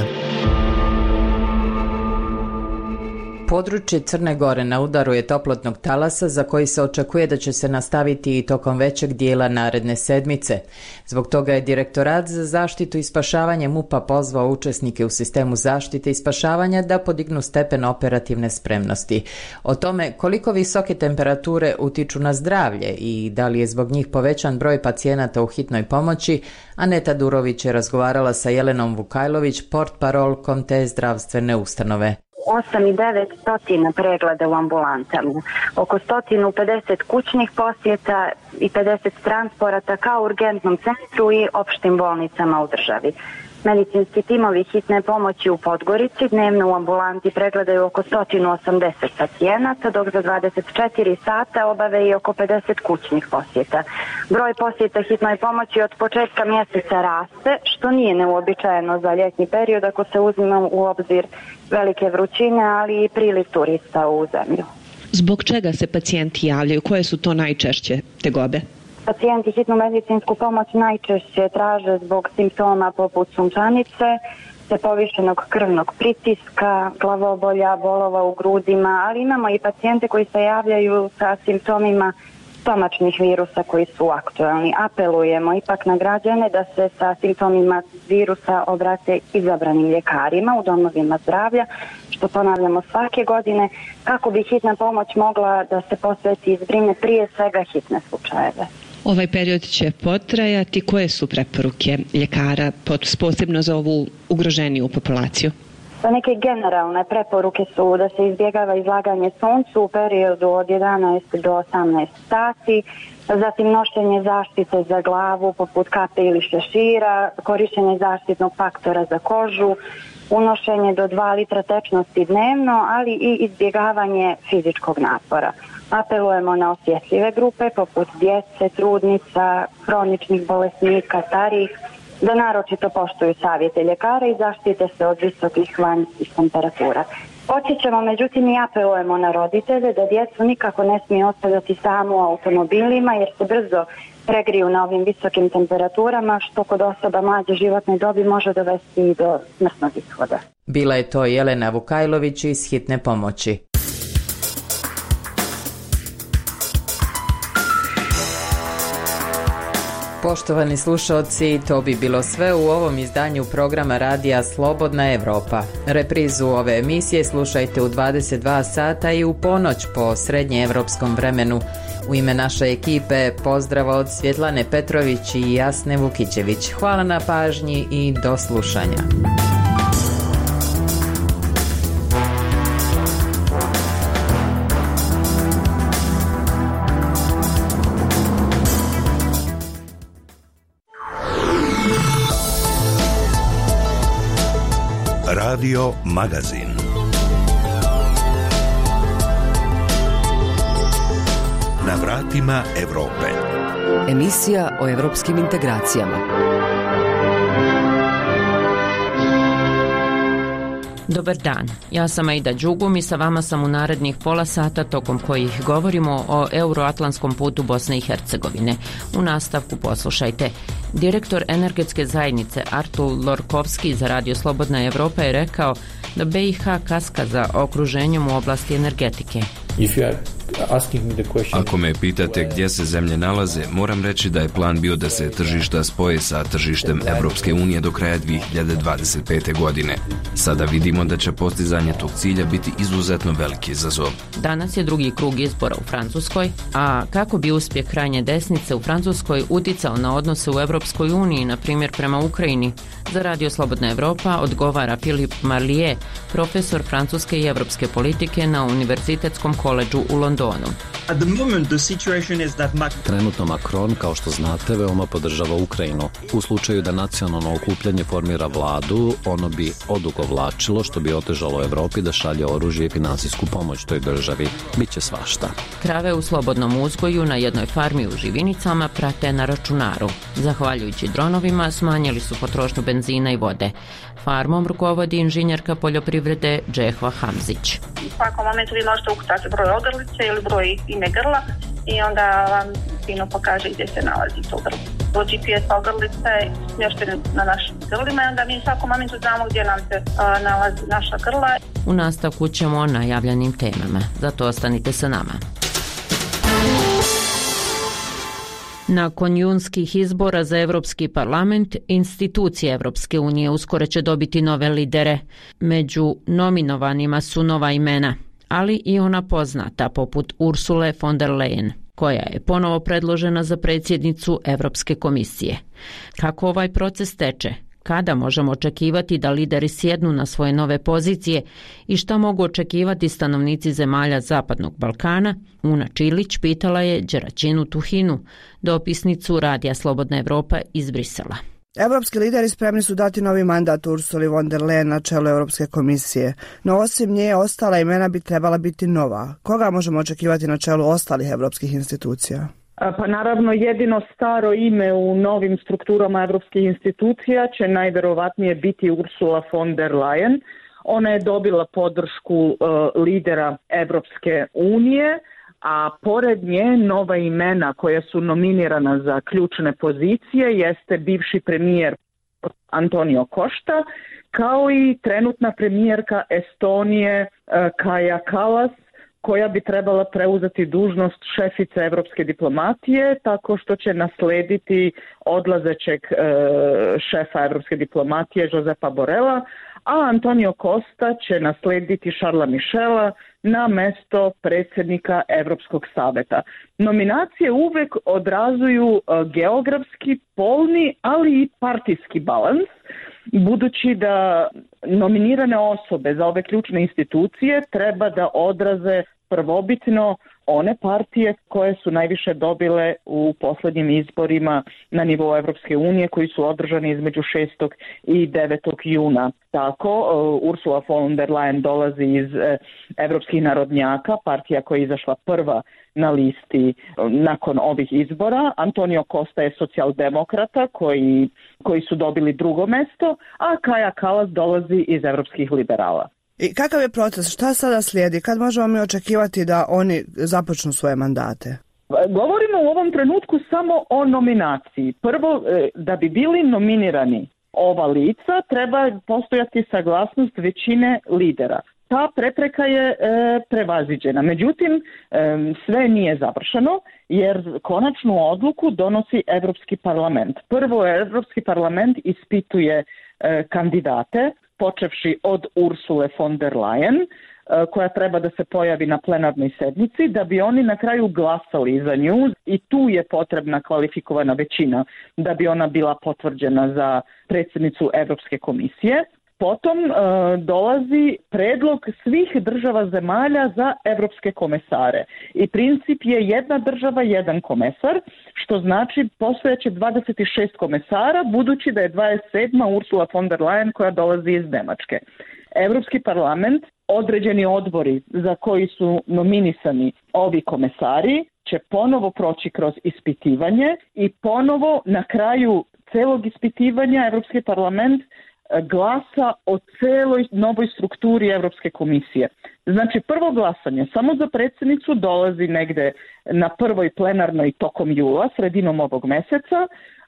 Speaker 1: Područje Crne Gore na udaru je toplotnog talasa za koji se očekuje da će se nastaviti i tokom većeg dijela naredne sedmice. Zbog toga je Direktorat za zaštitu i spašavanje M U P-a pozvao učesnike u sistemu zaštite i spašavanja da podignu stepen operativne spremnosti. O tome koliko visoke temperature utiču na zdravlje i da li je zbog njih povećan broj pacijenata u hitnoj pomoći, Aneta Durović je razgovarala sa Jelenom Vukajlović, portparolkom te zdravstvene ustanove.
Speaker 6: osam i devet stotina pregleda u ambulantama, oko sto pedeset kućnih posjeta i pedeset transporata kao urgentnom centru i opštim bolnicama u državi. Medicinski timovi hitne pomoći u Podgorici dnevno u ambulanti pregledaju oko sto osamdeset pacijenata, dok za dvadeset četiri sata obave i oko pedeset kućnih posjeta. Broj posjeta hitnoj pomoći od početka mjeseca raste, što nije neuobičajeno za ljetni period ako se uzima u obzir velike vrućine, ali i priliv turista u zemlju.
Speaker 24: Zbog čega se pacijenti javljaju? Koje su to najčešće tegobe?
Speaker 6: Pacijenti hitnu medicinsku pomoć najčešće traže zbog simptoma poput sunčanice, te povišenog krvnog pritiska, glavobolja, bolova u grudima, ali imamo i pacijente koji se javljaju sa simptomima stomačnih virusa koji su aktualni. Apelujemo ipak na građane da se sa simptomima virusa obrate izabranim ljekarima u domovima zdravlja, što ponavljamo svake godine, kako bi hitna pomoć mogla da se posveti i zbrine prije svega hitne slučajeve.
Speaker 24: Ovaj period će potrajati. Koje su preporuke ljekara posebno za ovu ugroženiju populaciju?
Speaker 6: Neke generalne preporuke su da se izbjegava izlaganje suncu u periodu od jedanaest do osamnaest sati, zatim nošenje zaštite za glavu poput kape ili šešira, korištenje zaštitnog faktora za kožu, unošenje do dva litra tečnosti dnevno, ali i izbjegavanje fizičkog napora. Apelujemo na osjetljive grupe poput djece, trudnica, hroničnih bolesnika, starijih, da naročito poštuju savjete ljekara i zaštite se od visokih vanjskih temperatura. Podsjećamo, međutim, i apelujemo na roditelje da djecu nikako ne smije ostavljati samo u automobilima jer se brzo pregriju na ovim visokim temperaturama, što kod osoba mlađe životne dobi može dovesti i do smrtnog ishoda.
Speaker 1: Bila je to Jelena Vukajlović iz hitne pomoći. Poštovani slušalci, to bi bilo sve u ovom izdanju programa radija Slobodna Evropa. Reprizu ove emisije slušajte u dvadeset dva sata i u ponoć po srednjeevropskom vremenu. U ime naše ekipe pozdrav od Svjetlane Petrović i Jasne Vukićević. Hvala na pažnji i do slušanja.
Speaker 5: Radio Magazin. Na vratima Evrope.
Speaker 13: Emisija o evropskim integracijama.
Speaker 7: Dobar dan, ja sam Aida Đugum i sa vama sam u narednih pola sata tokom kojih govorimo o euroatlantskom putu Bosne i Hercegovine. U nastavku poslušajte. Direktor energetske zajednice Artur Lorkovski za Radio Slobodna Evropa je rekao da B i H kaska za okruženjem u oblasti energetike.
Speaker 8: Ako me pitate gdje se zemlje nalaze, moram reći da je plan bio da se tržišta spoje sa tržištem Evropske unije do kraja dvije hiljade dvadeset pete. godine. Sada vidimo da će postizanje tog cilja biti izuzetno veliki izazov.
Speaker 7: Danas je drugi krug izbora u Francuskoj, a kako bi uspjeh krajnje desnice u Francuskoj uticao na odnose u Evropskoj uniji, na primjer prema Ukrajini? Za Radio Slobodna Evropa odgovara Filip Marlier, profesor francuske i evropske politike na Univerzitetskom koledžu u Londonu.
Speaker 9: Trenutno Macron, kao što znate, veoma podržava Ukrajinu. U slučaju da nacionalno okupljanje formira vladu, ono bi odugovlačilo, što bi otežalo Evropi da šalje oružje i finansijsku pomoć toj državi. Biće svašta.
Speaker 7: Krave u slobodnom uzgoju na jednoj farmi u Živinicama prate na računaru. Zahvaljujući dronovima smanjili su potrošnju benzina i vode. Farmom rukovodi inženjerka poljoprivrede Džehva Hamzić.
Speaker 25: U svakom momentu vi možete ukucati broj ogrlice ili broj ime grla i onda vam fino pokaže gdje se nalazi to grlo. Do G P S ogrlice smještene na našim grlima i onda mi u svakom momentu znamo gdje nam se a, nalazi naša grla.
Speaker 7: U nastavku ćemo o najavljenim temama, zato ostanite sa nama. Nakon junskih izbora za Evropski parlament, institucije Evropske unije uskoro će dobiti nove lidere. Među nominovanima su nova imena, ali i ona poznata poput Ursule von der Leyen, koja je ponovo predložena za predsjednicu Evropske komisije. Kako ovaj proces teče? Kada možemo očekivati da lideri sjednu na svoje nove pozicije i šta mogu očekivati stanovnici zemalja Zapadnog Balkana? Una Čilić pitala je Đeraćinu Tuhinu, dopisnicu Radija Slobodna Evropa iz Brisela.
Speaker 26: Evropski lideri spremni su dati novi mandat Ursuli von der Leyen na čelu Europske komisije, no osim nje ostala imena bi trebala biti nova. Koga možemo očekivati na čelu ostalih evropskih institucija?
Speaker 27: Pa naravno jedino staro ime u novim strukturama evropskih institucija će najvjerovatnije biti Ursula von der Leyen. Ona je dobila podršku uh, lidera Evropske unije, a pored nje nova imena koja su nominirana za ključne pozicije jeste bivši premijer Antonio Costa, kao i trenutna premijerka Estonije uh, Kaja Kallas, koja bi trebala preuzeti dužnost šefice evropske diplomatije, tako što će naslediti odlazećeg e, šefa evropske diplomatije Josepa Borela, a Antonio Costa će naslediti Charlesa Michela na mesto predsjednika Evropskog saveta. Nominacije uvek odrazuju e, geografski, polni, ali i partijski balans, budući da nominirane osobe za ove ključne institucije treba da odraze prvobitno one partije koje su najviše dobile u posljednjim izborima na nivou Evropske unije koji su održani između šestog i devetog juna. Tako, Ursula von der Leyen dolazi iz Evropskih narodnjaka, partija koja je izašla prva na listi nakon ovih izbora. Antonio Costa je socijaldemokrata koji, koji su dobili drugo mesto, a Kaja Kallas dolazi iz Evropskih liberala.
Speaker 26: I kakav je proces? Šta sada slijedi? Kad možemo mi očekivati da oni započnu svoje mandate?
Speaker 27: Govorimo u ovom trenutku samo o nominaciji. Prvo, da bi bili nominirani ova lica, treba postojati saglasnost većine lidera. ta prepreka je e, prevaziđena. Međutim, e, sve nije završeno jer konačnu odluku donosi Europski parlament. Prvo, Europski parlament ispituje e, kandidate, počevši od Ursule von der Leyen, e, koja treba da se pojavi na plenarnoj sednici, da bi oni na kraju glasali za nju i tu je potrebna kvalifikovana većina da bi ona bila potvrđena za predsjednicu Europske komisije. Potom e, dolazi predlog svih država zemalja za europske komesare i princip je jedna država, jedan komesar, što znači postojeće dvadeset šest komesara, budući da je dvadeset sedma Ursula von der Leyen koja dolazi iz Njemačke. Europski parlament, određeni odbori za koji su nominisani ovi komesari, će ponovo proći kroz ispitivanje i ponovo na kraju celog ispitivanja Europski parlament glasa o celoj novoj strukturi Europske komisije. Znači, prvo glasanje samo za predsjednicu dolazi negde na prvoj plenarnoj tokom jula, sredinom ovog meseca,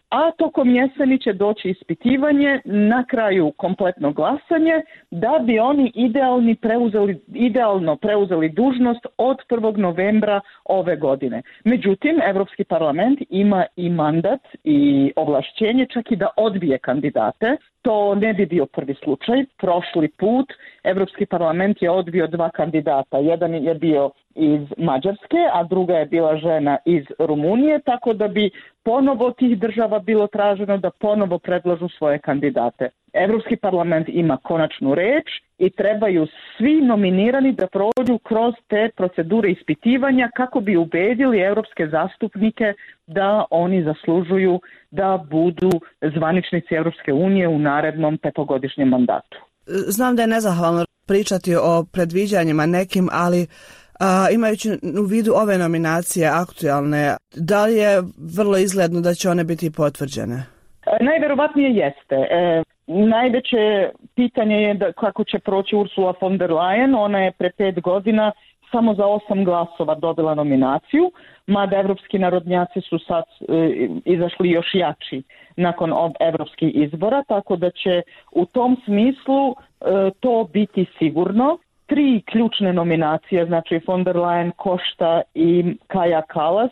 Speaker 27: a tokom jeseni će doći ispitivanje, na kraju kompletno glasanje, da bi oni idealni preuzeli, idealno preuzeli dužnost od prvog novembra ove godine. Međutim, Europski parlament ima i mandat i ovlašćenje čak i da odbije kandidate. To ne bi bio prvi slučaj. Prošli put Europski parlament je odbio dva kandidata. Jedan je bio iz Mađarske, a druga je bila žena iz Rumunije, tako da bi ponovo tih država bilo traženo da ponovo predlažu svoje kandidate. Europski parlament ima konačnu reč i trebaju svi nominirani da prođu kroz te procedure ispitivanja kako bi ubedili europske zastupnike da oni zaslužuju da budu zvaničnici Europske unije u narednom petogodišnjem mandatu.
Speaker 26: Znam da je nezahvalno pričati o predviđanjima nekim, ali a, imajući u vidu ove nominacije aktualne, da li je vrlo izgledno da će one biti potvrđene?
Speaker 27: E, najverovatnije jeste. E, najveće pitanje je da kako će proći Ursula von der Leyen. Ona je pre pet godina samo za osam glasova dobila nominaciju, mada evropski narodnjaci su sad e, izašli još jači nakon evropskih izbora, tako da će u tom smislu e, to biti sigurno. Tri ključne nominacije, znači von der Leyen, Costa i Kaja Kallas,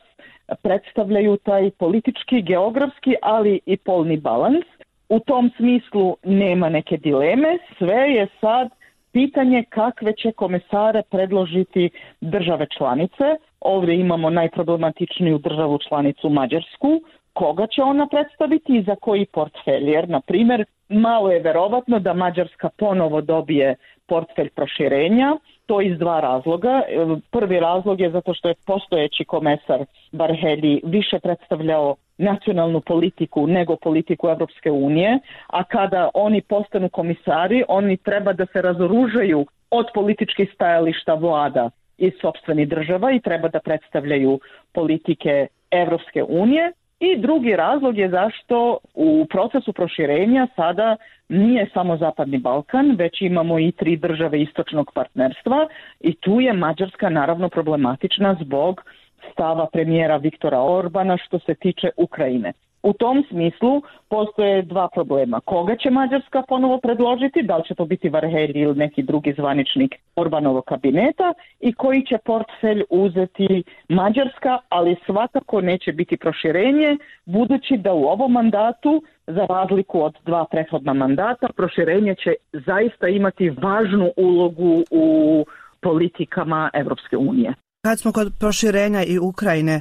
Speaker 27: predstavljaju taj politički, geografski, ali i polni balans. U tom smislu nema neke dileme, sve je sad pitanje kakve će komesare predložiti države članice. Ovdje imamo najproblematičniju državu članicu Mađarsku. Koga će ona predstaviti i za koji portfelj? Jer, na primjer, malo je verovatno da Mađarska ponovo dobije portfelj proširenja. To iz dva razloga. Prvi razlog je zato što je postojeći komesar Varhelyi više predstavljao nacionalnu politiku nego politiku Europske unije, a kada oni postanu komisari, oni treba da se razoružaju od političkih stajališta vlada iz sopstvenih država i treba da predstavljaju politike Europske unije. I drugi razlog je zašto u procesu proširenja sada nije samo Zapadni Balkan, već imamo i tri države istočnog partnerstva i tu je Mađarska naravno problematična zbog stava premijera Viktora Orbana što se tiče Ukrajine. U tom smislu postoje dva problema. Koga će Mađarska ponovo predložiti, da li će to biti Varhelyi ili neki drugi zvaničnik Orbanovog kabineta i koji će portfelj uzeti Mađarska, ali svakako neće biti proširenje, budući da u ovom mandatu, za razliku od dva prethodna mandata, proširenje će zaista imati važnu ulogu u politikama Europske unije.
Speaker 26: Kad smo kod proširenja i Ukrajine,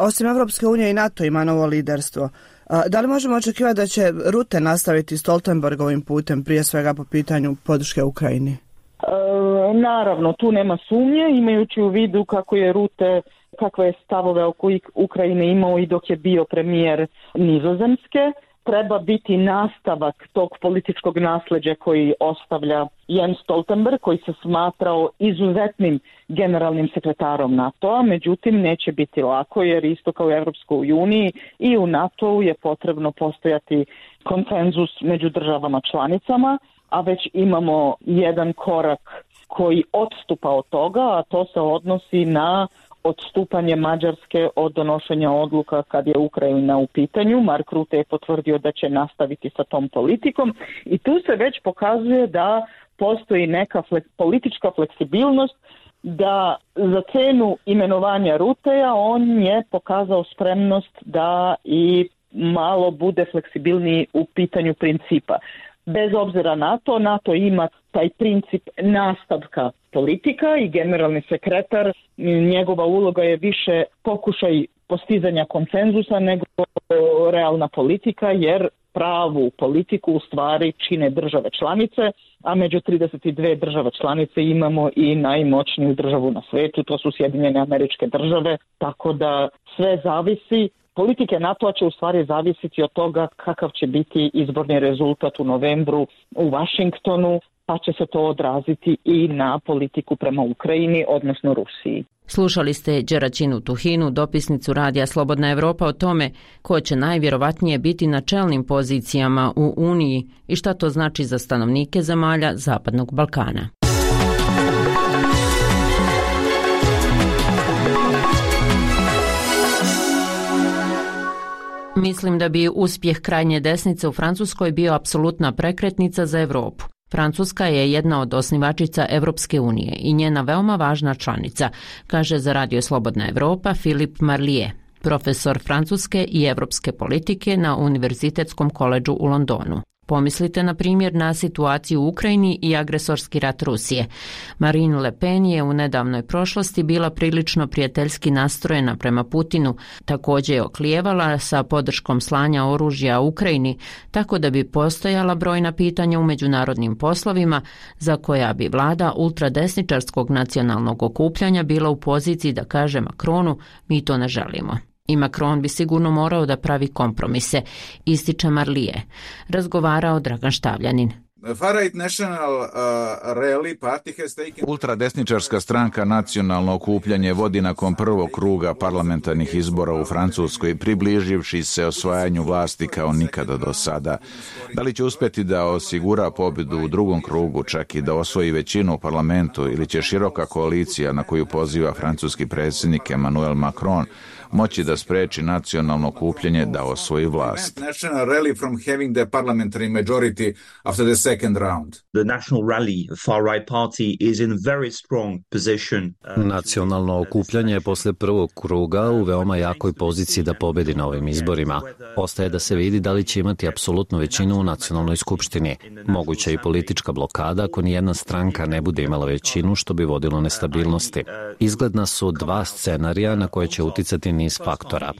Speaker 26: osim Evropske unije i NATO ima novo liderstvo. Da li možemo očekivati da će Rutte nastaviti Stoltenbergovim putem, prije svega po pitanju podrške Ukrajini?
Speaker 27: E, naravno, tu nema sumnje, imajući u vidu kako je Rutte, kakve je stavove oko Ukrajine imao i dok je bio premijer Nizozemske. Treba biti nastavak tog političkog nasljeđa koji ostavlja Jens Stoltenberg, koji se smatrao izuzetnim generalnim sekretarom NATO-a, međutim neće biti lako jer isto kao u Europskoj uniji i u NATO-u je potrebno postojati konsenzus među državama članicama, a već imamo jedan korak koji odstupa od toga, a to se odnosi na odstupanje Mađarske od donošenja odluka kad je Ukrajina u pitanju. Mark Rutte je potvrdio da će nastaviti sa tom politikom i tu se već pokazuje da postoji neka flek, politička fleksibilnost da za cenu imenovanja Ruteja on je pokazao spremnost da i malo bude fleksibilniji u pitanju principa. Bez obzira na to, NATO ima taj princip nastavka politika i generalni sekretar, njegova uloga je više pokušaj postizanja konsenzusa nego realna politika, jer pravu politiku u stvari čine države članice, a među trideset dvije države članice imamo i najmoćniju državu na svijetu, to su Sjedinjene Američke Države, tako da sve zavisi. Politike NATO-a će u stvari zavisiti od toga kakav će biti izborni rezultat u novembru u Washingtonu, pa će se to odraziti i na politiku prema Ukrajini, odnosno Rusiji.
Speaker 7: Slušali ste Đeraćinu Tuhinu, dopisnicu Radija Slobodna Evropa, o tome ko će najvjerovatnije biti na čelnim pozicijama u Uniji i šta to znači za stanovnike zemalja Zapadnog Balkana. Mislim da bi uspjeh krajnje desnice u Francuskoj bio apsolutna prekretnica za Europu. Francuska je jedna od osnivačica Evropske unije i njena veoma važna članica, kaže za Radio Slobodna Evropa Filip Marlier, profesor francuske i evropske politike na Univerzitetskom koledžu u Londonu. Pomislite, na primjer, na situaciju u Ukrajini i agresorski rat Rusije. Marine Le Pen je u nedavnoj prošlosti bila prilično prijateljski nastrojena prema Putinu, također je oklijevala sa podrškom slanja oružja Ukrajini, tako da bi postojala brojna pitanja u međunarodnim poslovima za koja bi vlada ultradesničarskog nacionalnog okupljanja bila u poziciji da kaže Macronu, mi to ne želimo. I Macron bi sigurno morao da pravi kompromise, ističe Marlier. Razgovarao Dragan Štavljanin.
Speaker 3: Ultradesničarska stranka Nacionalno okupljanje vodi nakon prvog kruga parlamentarnih izbora u Francuskoj, približivši se osvajanju vlasti kao nikada do sada. Da li će uspjeti da osigura pobjedu u drugom krugu, čak i da osvoji većinu u parlamentu, ili će široka koalicija na koju poziva francuski predsjednik Emmanuel Macron moći da spreči nacionalno okupljanje da osvoji vlast?
Speaker 9: Nacionalno okupljanje je posle prvog kruga u veoma jakoj poziciji da pobedi na ovim izborima. Ostaje da se vidi da li će imati apsolutnu većinu u nacionalnoj skupštini. Moguća je i politička blokada ako nijedna stranka ne bude imala većinu, što bi vodilo nestabilnosti. Izgledna su dva scenarija na koje će uticati niz faktora.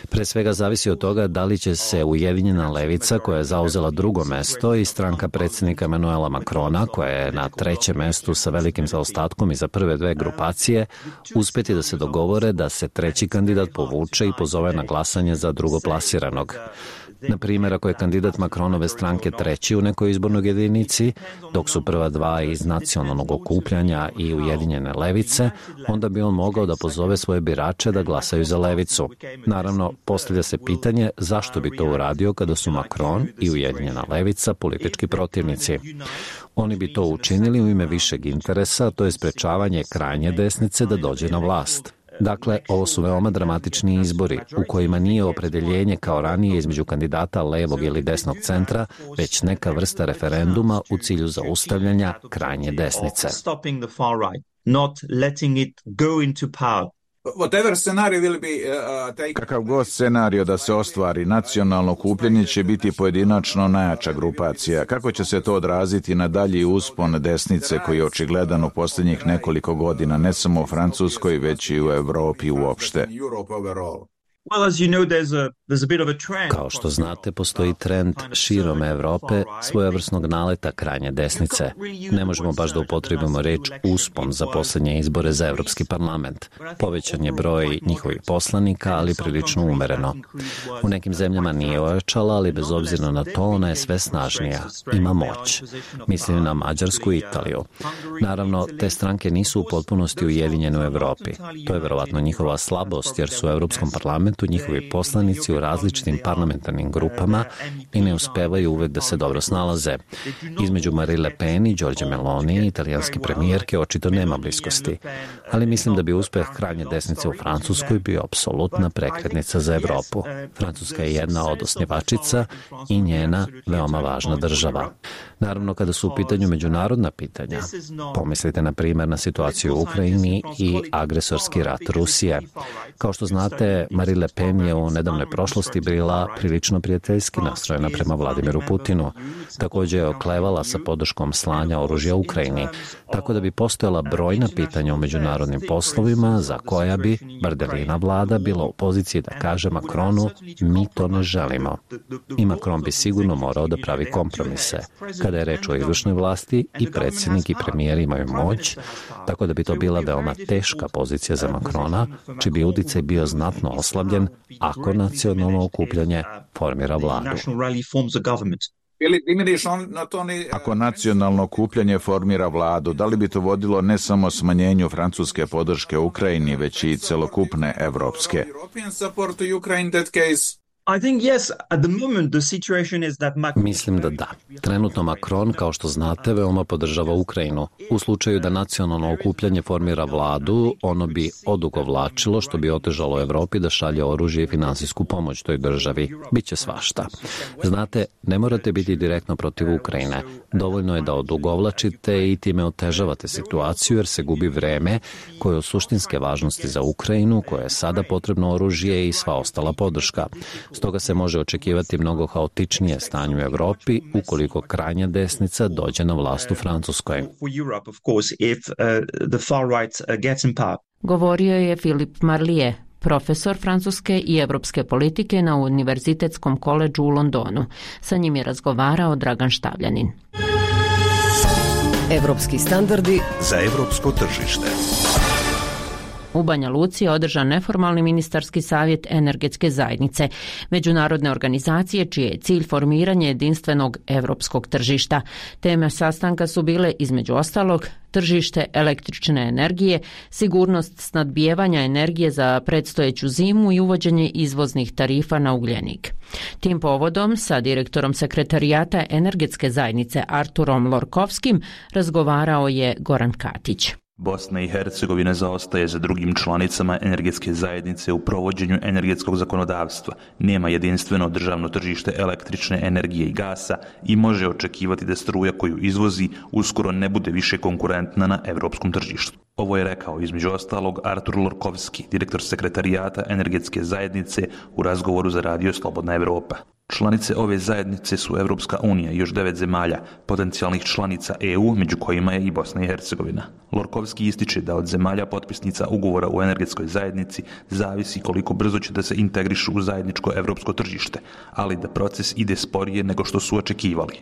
Speaker 9: Pre svega zavisi od toga da li će se Ujedinjena levica, koja je zauzela drugo mesto, i stranka predsjednika Emmanuela Macrona, koja je na trećem mestu sa velikim zaostatkom iza prve dve grupacije, uspjeti da se dogovore da se treći kandidat povuče i pozove na glasanje za drugoplasiranog. Na primjer, ako je kandidat Macronove stranke treći u nekoj izbornoj jedinici, dok su prva dva iz nacionalnog okupljanja i Ujedinjene levice, onda bi on mogao da pozove svoje birače da glasaju za levicu. Naravno, postavlja se pitanje zašto bi to uradio kada su Macron i Ujedinjena levica politički protivnici. Oni bi to učinili u ime višeg interesa, to je sprečavanje krajnje desnice da dođe na vlast. Dakle, ovo su veoma dramatični izbori u kojima nije opredeljenje kao ranije između kandidata levog ili desnog centra, već neka vrsta referenduma u cilju zaustavljanja krajnje desnice.
Speaker 3: Kakav god scenario da se ostvari, nacionalno okupljanje će biti pojedinačno najjača grupacija. Kako će se to odraziti na dalji uspon desnice koji je očigledan u posljednjih nekoliko godina, ne samo u Francuskoj, već i u Europi uopšte?
Speaker 9: Kao što znate, postoji trend širom Evrope svojevrsnog naleta krajnje desnice. Ne možemo baš da upotrebimo reč uspon za posljednje izbore za Evropski parlament. Povećan je broj njihovih poslanika, ali prilično umereno. U nekim zemljama nije ojačala, ali bez obzira na to ona je sve snažnija. Ima moć. Mislim na Mađarsku i Italiju. Naravno, te stranke nisu u potpunosti ujedinjene u Evropi. To je verovatno njihova slabost, jer su u Evropskom parlamentu njihovi poslanici u različitim parlamentarnim grupama i ne uspevaju uvek da se dobro snalaze. Između Marine Le Pen i Giorgia Meloni, italijanske premijerke, očito nema bliskosti. ali mislim da bi uspeh krajnje desnice u Francuskoj bio apsolutna prekretnica za Evropu. Francuska je jedna od osnivačica i njena veoma važna država. Naravno, kada su u pitanju međunarodna pitanja, pomislite na primjer na situaciju u Ukrajini i agresorski rat Rusije. Kao što znate, Marine Le Pen je u nedavnoj prošlosti bila prilično prijateljski nastrojena prema Vladimiru Putinu. Također je oklevala sa podrškom slanja oružja Ukrajini, tako da bi postojala brojna pitanja u međunarodnim poslovima za koja bi Bardelina vlada bila u poziciji da kaže Macronu mi to ne želimo. I Macron bi sigurno morao da pravi kompromise. Kada je reč o izvršnoj vlasti, i predsjednik i premijer imaju moć, tako da bi to bila veoma teška pozicija za Macrona, čiji bi uticaj bio znatno oslabljen ako nacionalno okupljanje formira vladu.
Speaker 3: Ako nacionalno okupljanje formira vladu, da li bi to vodilo ne samo smanjenju francuske podrške Ukrajini, već i celokupne evropske?
Speaker 9: Mislim da da. Trenutno Macron, kao što znate, veoma podržava Ukrajinu. U slučaju da nacionalno okupljanje formira vladu, ono bi odugovlačilo, što bi otežalo Evropi da šalje oružje i finansijsku pomoć toj državi. Biće svašta. Znate, ne morate biti direktno protiv Ukrajine. Dovoljno je da odugovlačite i time otežavate situaciju, jer se gubi vreme koje je od suštinske važnosti za Ukrajinu, koje je sada potrebno oružje i sva ostala podrška. Stoga se može očekivati mnogo haotičnije stanje u Evropi ukoliko krajnja desnica dođe na vlast u Francuskoj.
Speaker 7: Govorio je Filip Marlier, profesor francuske i evropske politike na Univerzitetskom koledžu u Londonu. Sa njim je razgovarao Dragan Štavljanin.
Speaker 13: Evropski standardi
Speaker 5: za evropsko tržište.
Speaker 7: U Banja Luci je održan neformalni ministarski savjet energetske zajednice, međunarodne organizacije čiji je cilj formiranje jedinstvenog evropskog tržišta. Teme sastanka su bile, između ostalog, tržište električne energije, sigurnost snadbijevanja energije za predstojeću zimu i uvođenje izvoznih tarifa na ugljenik. Tim povodom sa direktorom sekretarijata energetske zajednice Arturom Lorkovskim razgovarao je Goran Katić.
Speaker 10: Bosna i Hercegovina zaostaje za drugim članicama energetske zajednice u provođenju energetskog zakonodavstva, nema jedinstveno državno tržište električne energije i gasa i može očekivati da struja koju izvozi uskoro ne bude više konkurentna na evropskom tržištu. Ovo je rekao između ostalog Artur Lorkovski, direktor sekretarijata energetske zajednice u razgovoru za radio Slobodna Evropa. Članice ove zajednice su Evropska unija i još devet zemalja, potencijalnih članica E U, među kojima je i Bosna i Hercegovina. Lorkovski ističe da od zemalja potpisnica ugovora u energetskoj zajednici zavisi koliko brzo će da se integrišu u zajedničko evropsko tržište, ali da proces ide sporije nego što su očekivali.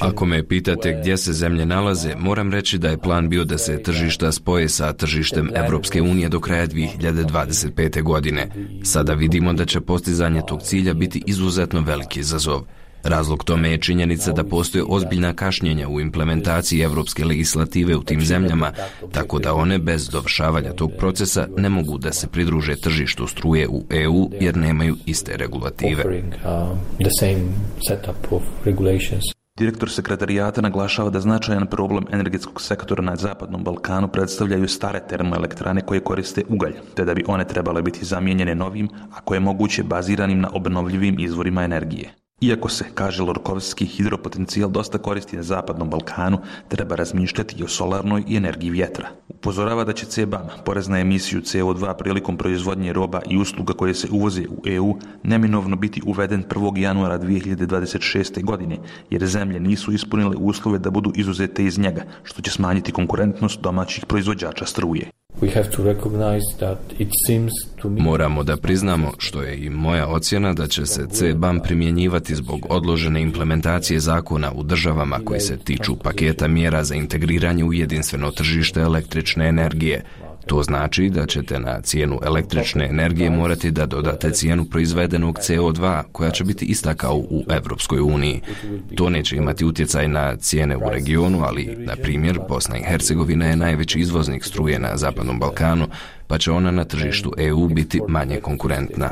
Speaker 8: Ako me pitate gdje se zemlje nalaze, moram reći da je plan bio da se tržišta spoje sa tržištem Evropske unije do kraja dvije hiljade dvadeset pete. godine. Sada vidimo da će postizanje tog cilja biti izuzetno veliki izazov. Razlog tome je činjenica da postoje ozbiljna kašnjenja u implementaciji evropske legislative u tim zemljama, tako da one bez dovršavanja tog procesa ne mogu da se pridruže tržištu struje u E U jer nemaju iste regulative.
Speaker 10: Direktor sekretarijata naglašava da značajan problem energetskog sektora na Zapadnom Balkanu predstavljaju stare termoelektrane koje koriste ugalj, te da bi one trebale biti zamijenjene novim, ako je moguće baziranim na obnovljivim izvorima energije. Iako se, kaže Lorkovski, hidropotencijal dosta koristi na Zapadnom Balkanu, treba razmišljati i o solarnoj i energiji vjetra. Upozorava da će C B A M, porez na emisiju C O dva prilikom proizvodnje roba i usluga koje se uvoze u E U, neminovno biti uveden prvog januara dvije hiljade dvadeset šeste. godine, jer zemlje nisu ispunile uslove da budu izuzete iz njega, što će smanjiti konkurentnost domaćih proizvođača struje.
Speaker 8: Moramo da priznamo, što je i moja ocjena, da će se C B A M primjenjivati zbog odložene implementacije zakona u državama koji se tiču paketa mjera za integriranje u jedinstveno tržište električne energije. To znači da ćete na cijenu električne energije morati da dodate cijenu proizvedenog C O dva, koja će biti ista kao u Evropskoj uniji. To neće imati utjecaj na cijene u regionu, ali, na primjer, Bosna i Hercegovina je najveći izvoznik struje na Zapadnom Balkanu, pa će ona na tržištu E U biti manje konkurentna.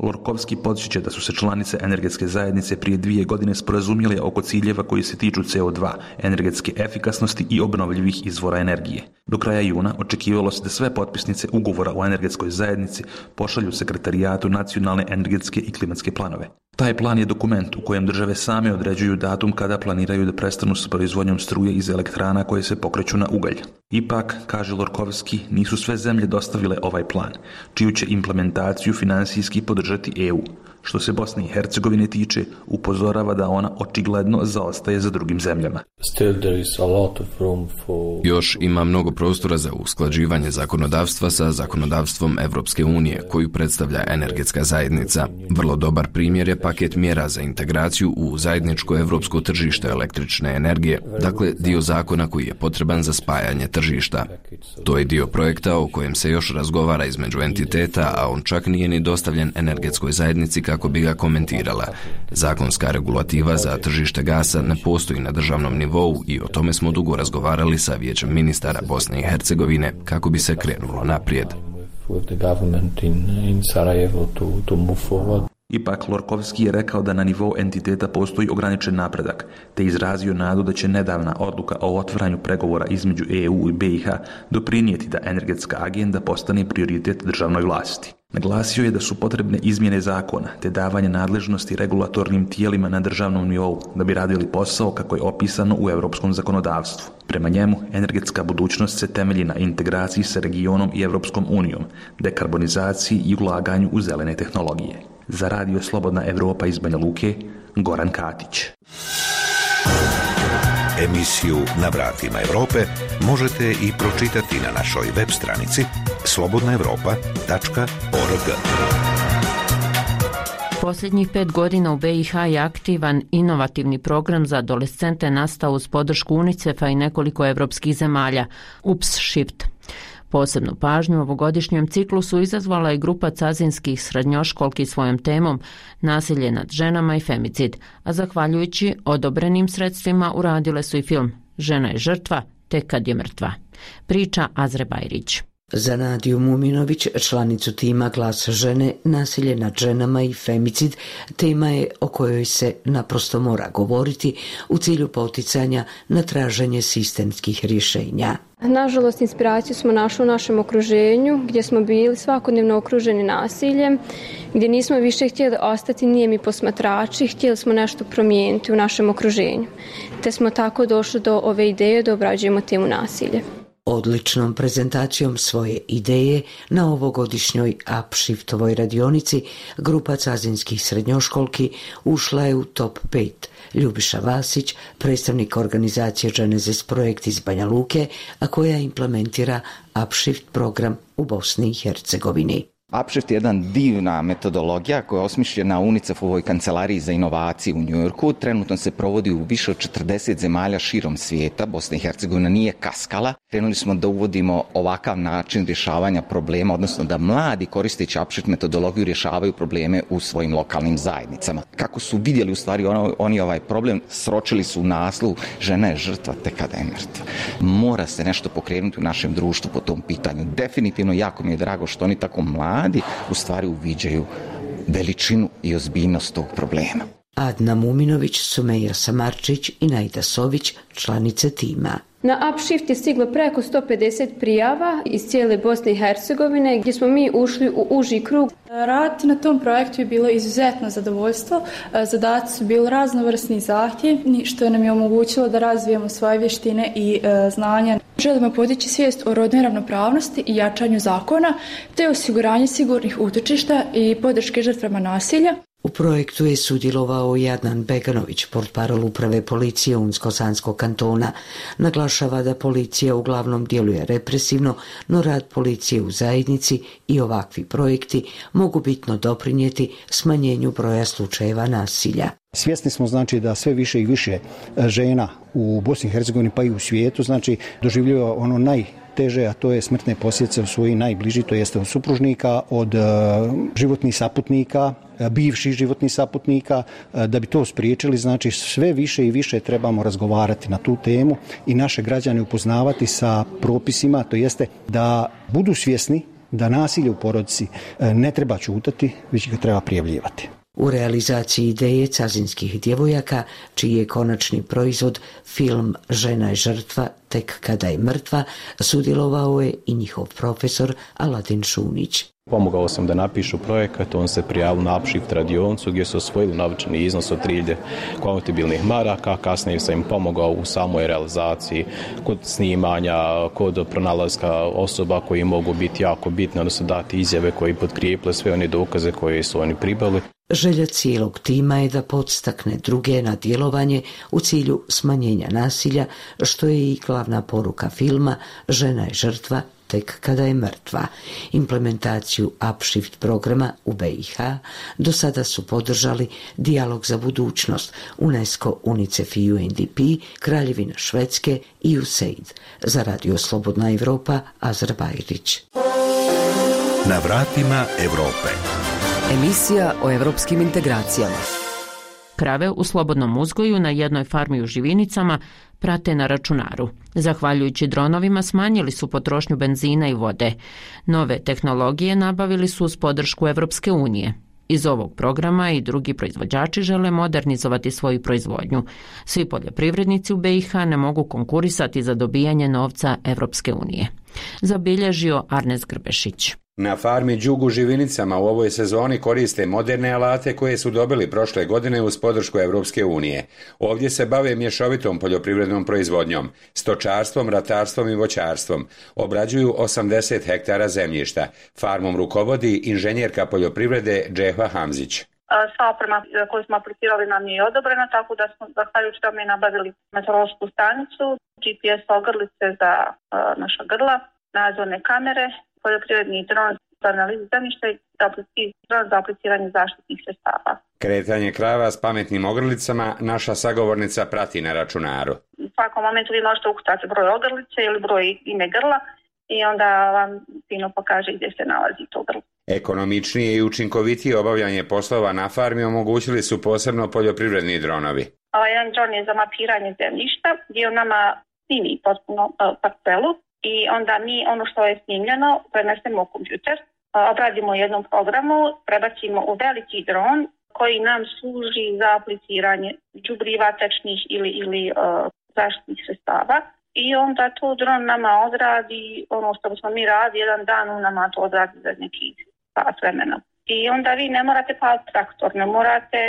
Speaker 10: Lorkovski podsjeća da su se članice energetske zajednice prije dvije godine sporazumjele oko ciljeva koji se tiču C O dva, energetske efikasnosti i obnovljivih izvora energije. Do kraja juna očekivalo se da sve potpisnice ugovora o energetskoj zajednici pošalju sekretarijatu nacionalne energetske i klimatske planove. Taj plan je dokument u kojem države same određuju datum kada planiraju da prestanu s proizvodnjom struje iz elektrana koje se pokreću na ugalj. Ipak, kaže Lorkovski, nisu sve zemlje dostavile ovaj plan, čiju će implementaciju finansijski podržati E U. Što se Bosne i Hercegovine tiče, upozorava da ona očigledno zaostaje za drugim zemljama.
Speaker 8: Još ima mnogo prostora za usklađivanje zakonodavstva sa zakonodavstvom Evropske unije, koju predstavlja energetska zajednica. Vrlo dobar primjer je paket mjera za integraciju u zajedničko evropsko tržište električne energije, dakle dio zakona koji je potreban za spajanje tržišta. To je dio projekta o kojem se još razgovara između entiteta, a on čak nije ni dostavljen energetskoj zajednici kako bi ga komentirala. Zakonska regulativa za tržište gasa ne postoji na državnom nivou i o tome smo dugo razgovarali sa Vijećem ministara Bosne i Hercegovine kako bi se krenulo naprijed.
Speaker 10: Ipak, Lorkovski je rekao da na nivou entiteta postoji ograničen napredak, te izrazio nadu da će nedavna odluka o otvaranju pregovora između E U i B i H doprinijeti da energetska agenda postane prioritet državnoj vlasti. Naglasio je da su potrebne izmjene zakona te davanje nadležnosti regulatornim tijelima na državnom nivou da bi radili posao kako je opisano u europskom zakonodavstvu. Prema njemu, energetska budućnost se temelji na integraciji sa regionom i Evropskom unijom, dekarbonizaciji i ulaganju u zelene tehnologije. Za Radio Slobodna Evropa iz Banja Luke, Goran Katić.
Speaker 5: Emisiju Na vratima Evrope možete i pročitati na našoj web stranici slobodna evropa tačka org.
Speaker 7: Posljednjih pet godina u B i H je aktivan inovativni program za adolescente nastao uz podršku UNICEF-a i nekoliko evropskih zemalja, UPS-Shift. Posebnu pažnju u ovogodišnjem ciklusu izazvala je grupa cazinskih srednjoškolki svojom temom nasilje nad ženama i femicid, a zahvaljujući odobrenim sredstvima uradile su i film Žena je žrtva, tek kad je mrtva. Priča Azre Bajrić.
Speaker 11: Za Nadiju Muminović, članicu tima Glas žene, nasilje nad ženama i femicid, tema je o kojoj se naprosto mora govoriti u cilju poticanja na traženje sistemskih rješenja.
Speaker 12: Nažalost, inspiraciju smo našli u našem okruženju, gdje smo bili svakodnevno okruženi nasiljem, gdje nismo više htjeli ostati nijemi posmatrači, htjeli smo nešto promijeniti u našem okruženju. Te smo tako došli do ove ideje da obrađujemo temu nasilje.
Speaker 11: Odličnom prezentacijom svoje ideje na ovogodišnjoj UPS-Shiftovoj radionici grupa cazinskih srednjoškolki ušla je u top pet. Ljubiša Vasić, predstavnik organizacije Genesis Projekt iz Banja Luke, a koja implementira UPS-Shift program u Bosni i Hercegovini.
Speaker 14: UPS-Shift je jedna divna metodologija koja je osmišljena u UNICEF-ovoj kancelariji za inovacije u Njujorku. Trenutno se provodi u više od četrdeset zemalja širom svijeta. Bosna i Hercegovina nije kaskala. Krenuli smo da uvodimo ovakav način rješavanja problema, odnosno da mladi koristeći UPS-Shift metodologiju rješavaju probleme u svojim lokalnim zajednicama. Kako su vidjeli u stvari ono, oni ovaj problem, sročili su u naslovu Žena je žrtva, tek kada je mrtva. Mora se nešto pokrenuti u našem društvu po tom pitanju. Definitivno jako mi je drago što oni tako mladi mladi u stvari uviđaju veličinu i ozbiljnost tog problema.
Speaker 11: Adna Muminović, Sumeja Samarčić i Najda Sović, članice tima.
Speaker 12: Na UPS-Shift je stiglo preko sto pedeset prijava iz cijele Bosne i Hercegovine, gdje smo mi ušli u uži krug.
Speaker 15: Raditi na tom projektu je bilo izuzetno zadovoljstvo. Zadaci su bili raznovrsni zahtjevni, što nam je omogućilo da razvijemo svoje vještine i e, znanja. Želimo podići svijest o rodnoj ravnopravnosti i jačanju zakona, te osiguranje sigurnih utočišta i podrške žrtvama nasilja.
Speaker 11: U projektu je sudjelovao i Adnan Beganović, portparol uprave policije Unsko-Sanskog kantona. Naglašava da policija uglavnom djeluje represivno, no rad policije u zajednici i ovakvi projekti mogu bitno doprinijeti smanjenju broja slučajeva nasilja.
Speaker 16: Svjesni smo znači da sve više i više žena u Bosni i Hercegovini pa i u svijetu znači doživljava ono najteže, a to je smrtne posljedice u svojih najbliži, to jeste od supružnika, od uh, životnih saputnika, bivših životnih saputnika. Da bi to spriječili, znači sve više i više trebamo razgovarati na tu temu i naše građane upoznavati sa propisima, to jeste da budu svjesni da nasilje u porodici ne treba ćutati, već ga treba prijavljivati.
Speaker 11: U realizaciji ideje cazinskih djevojaka, čiji je konačni proizvod film Žena je žrtva tek kada je mrtva, sudjelovao je i njihov profesor Aladin Šunić.
Speaker 2: Pomogao sam da napišu projekat, on se prijavio na Upshift radioncu gdje su osvojili novčani iznos od tri hiljade konvertibilnih maraka, kasnije sam im pomogao u samoj realizaciji, kod snimanja, kod pronalaska osoba koji mogu biti jako bitne, odnosno dati izjave koji potkrijeple sve one dokaze koje su oni pribavili.
Speaker 11: Želja cijelog tima je da podstakne druge na djelovanje u cilju smanjenja nasilja, što je i glavna poruka filma Žena je žrtva tek kada je mrtva. Implementaciju Upshift programa u B i H do sada su podržali Dijalog za budućnost, UNESCO, UNICEF i U N D P, Kraljevina Švedske i U S A I D. Za Radio Slobodna Evropa, Azra Bajrić.
Speaker 5: Na vratima Evrope.
Speaker 13: Emisija o evropskim integracijama.
Speaker 7: Krave u slobodnom uzgoju na jednoj farmi u Živinicama prate na računaru. Zahvaljujući dronovima smanjili su potrošnju benzina i vode. Nove tehnologije nabavili su uz podršku Evropske unije. Iz ovog programa i drugi proizvođači žele modernizovati svoju proizvodnju. Svi poljoprivrednici u B i H ne mogu konkurisati za dobijanje novca Evropske unije. Zabilježio Arnes Grbešić.
Speaker 17: Na farmi Đug u Živinicama u ovoj sezoni koriste moderne alate koje su dobili prošle godine uz podršku Evropske unije. Ovdje se bave mješovitom poljoprivrednom proizvodnjom, stočarstvom, ratarstvom i voćarstvom. Obrađuju osamdeset hektara zemljišta. Farmom rukovodi inženjerka poljoprivrede Džehva Hamzić.
Speaker 25: Sva oprema koju smo aplicirali nam je odobrena, tako da smo zahvaljujući tome nabavili meteorološku stanicu, G P S ogrlice za uh, naša grla, nadzorne kamere, poljoprivredni dron za analizu zemljišta i dron za apliciranje zaštitnih sredstava.
Speaker 17: Kretanje krava s pametnim ogrlicama naša sagovornica prati na računaru.
Speaker 25: U svakom momentu vi možete ukucati broj ogrlice ili broj ime grla i onda vam fino pokaže gdje se nalazi to grlo.
Speaker 17: Ekonomičnije i učinkovitije obavljanje poslova na farmi omogućili su posebno poljoprivredni dronovi.
Speaker 25: Ovaj jedan dron je za mapiranje zemljišta gdje on nama snimi potpuno parcelu i onda mi ono što je snimljeno prenesemo u kompjuter, obradimo u jednom programu, prebacimo u veliki dron koji nam služi za apliciranje đubriva tečnih ili, ili uh, zaštitnih sredstava. I onda to dron nama odradi, ono što smo mi radili, jedan dan on nama to odradi za neki sat vremena. I onda vi ne morate paliti traktor, ne morate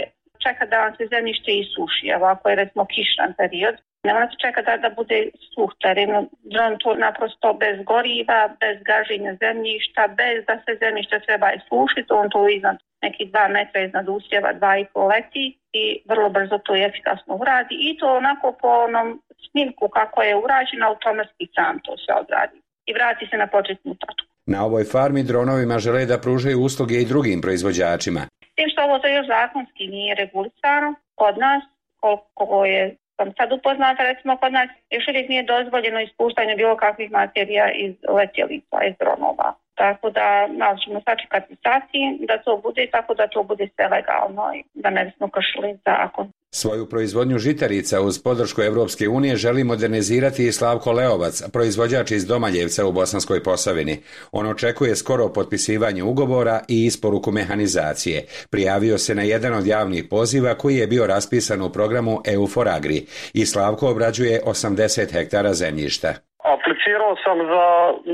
Speaker 25: čekati da vam se zemljište isuši, evo ako je recimo kišan period. Ne morate čekati da, da bude suh teren, dron to naprosto bez goriva, bez gaženja zemljišta, bez da se zemljište treba isušiti, on to iznad neki dva metra iznad usjeva, dva i pol leti i vrlo brzo to i efikasno uradi i to onako po onom snimku kako je urađeno, automatski sam to se odradi i vrati se na početnu tačku.
Speaker 17: Na ovoj farmi dronovima žele da pružaju usluge i drugim proizvođačima.
Speaker 25: Tim što ovo to još zakonski nije regulisano kod nas, koliko je sam sad upoznata, recimo kod nas još uvijek nije dozvoljeno ispuštanje bilo kakvih materija iz letjelica, iz dronova. Tako da malo ćemo sačekati sati da to bude tako da to bude sve legalno i da ne bismo kršili zakon.
Speaker 17: Svoju proizvodnju žitarica uz podršku Evropske unije želi modernizirati i Slavko Leovac, proizvođač iz Domaljevca u Bosanskoj Posavini. On očekuje skoro potpisivanje ugovora i isporuku mehanizacije. Prijavio se na jedan od javnih poziva koji je bio raspisan u programu E U for Agri i Slavko obrađuje osamdeset hektara zemljišta.
Speaker 19: Aplicirao sam za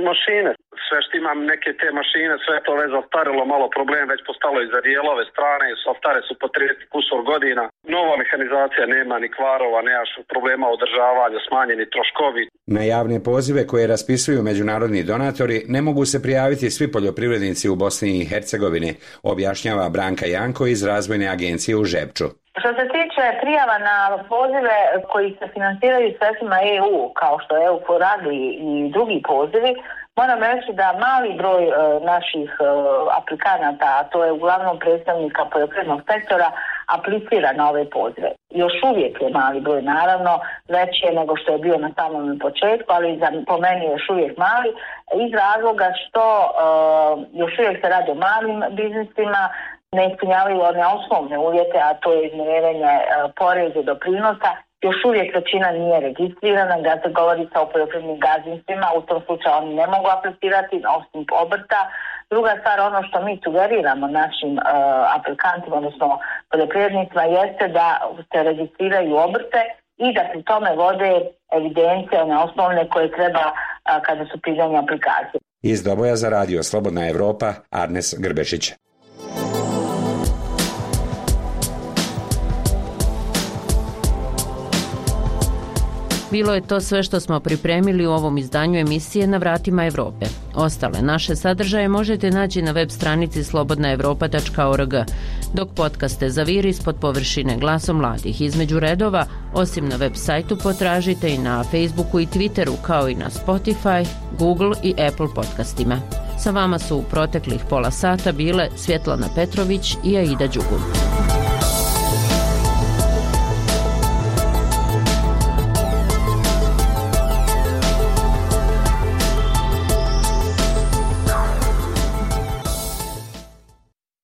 Speaker 19: mašine. Sve što imam neke te mašine, sve to već zastarilo, malo problem već postalo i za dijelove strane, stare su po trideset kusur godina. Nova mehanizacija nema ni kvarova, nemaš problema održavanja, smanjeni troškovi.
Speaker 17: Na javne pozive koje raspisuju međunarodni donatori ne mogu se prijaviti svi poljoprivrednici u Bosni i Hercegovini, objašnjava Branka Janko iz Razvojne agencije u Žepču.
Speaker 20: Što se tiče prijava na pozive koji se financiraju sredstvima E U, kao što je E U for Agri i drugi pozivi, moram reći da mali broj e, naših e, aplikanata, a to je uglavnom predstavnika poljoprivrednog sektora, aplicira na ove pozive. Još uvijek je mali broj, naravno, veći je nego što je bio na samom početku, ali za, po meni je još uvijek mali, iz razloga što e, još uvijek se radi o malim biznisima, ne ispunjavaju one osnovne uvjete, a to je izmirivanje e, poreza i doprinosa još uvijek većina nije registrirana, da se govori sa o poljoprivrednim gazdinstvima, u tom slučaju oni ne mogu aplicirati osim obrta. Druga stvar, ono što mi sugeriramo našim uh, aplikantima, odnosno poljoprivrednicima, jeste da se registriraju obrte i da pri tome vode evidencije, one osnovne koje treba uh, kada su pitanje aplikacije.
Speaker 17: Iz Doboja za radio Slobodna Evropa, Arnes Grbešić.
Speaker 7: Bilo je to sve što smo pripremili u ovom izdanju emisije Na vratima Evrope. Ostale naše sadržaje možete naći na web stranici slobodna evropa tačka org, dok podcaste Zaviri ispod površine glasom mladih između redova, osim na web sajtu potražite i na Facebooku i Twitteru, kao i na Spotify, Google i Apple podcastima. Sa vama su u proteklih pola sata bile Svjetlana Petrović i Aida Đugum.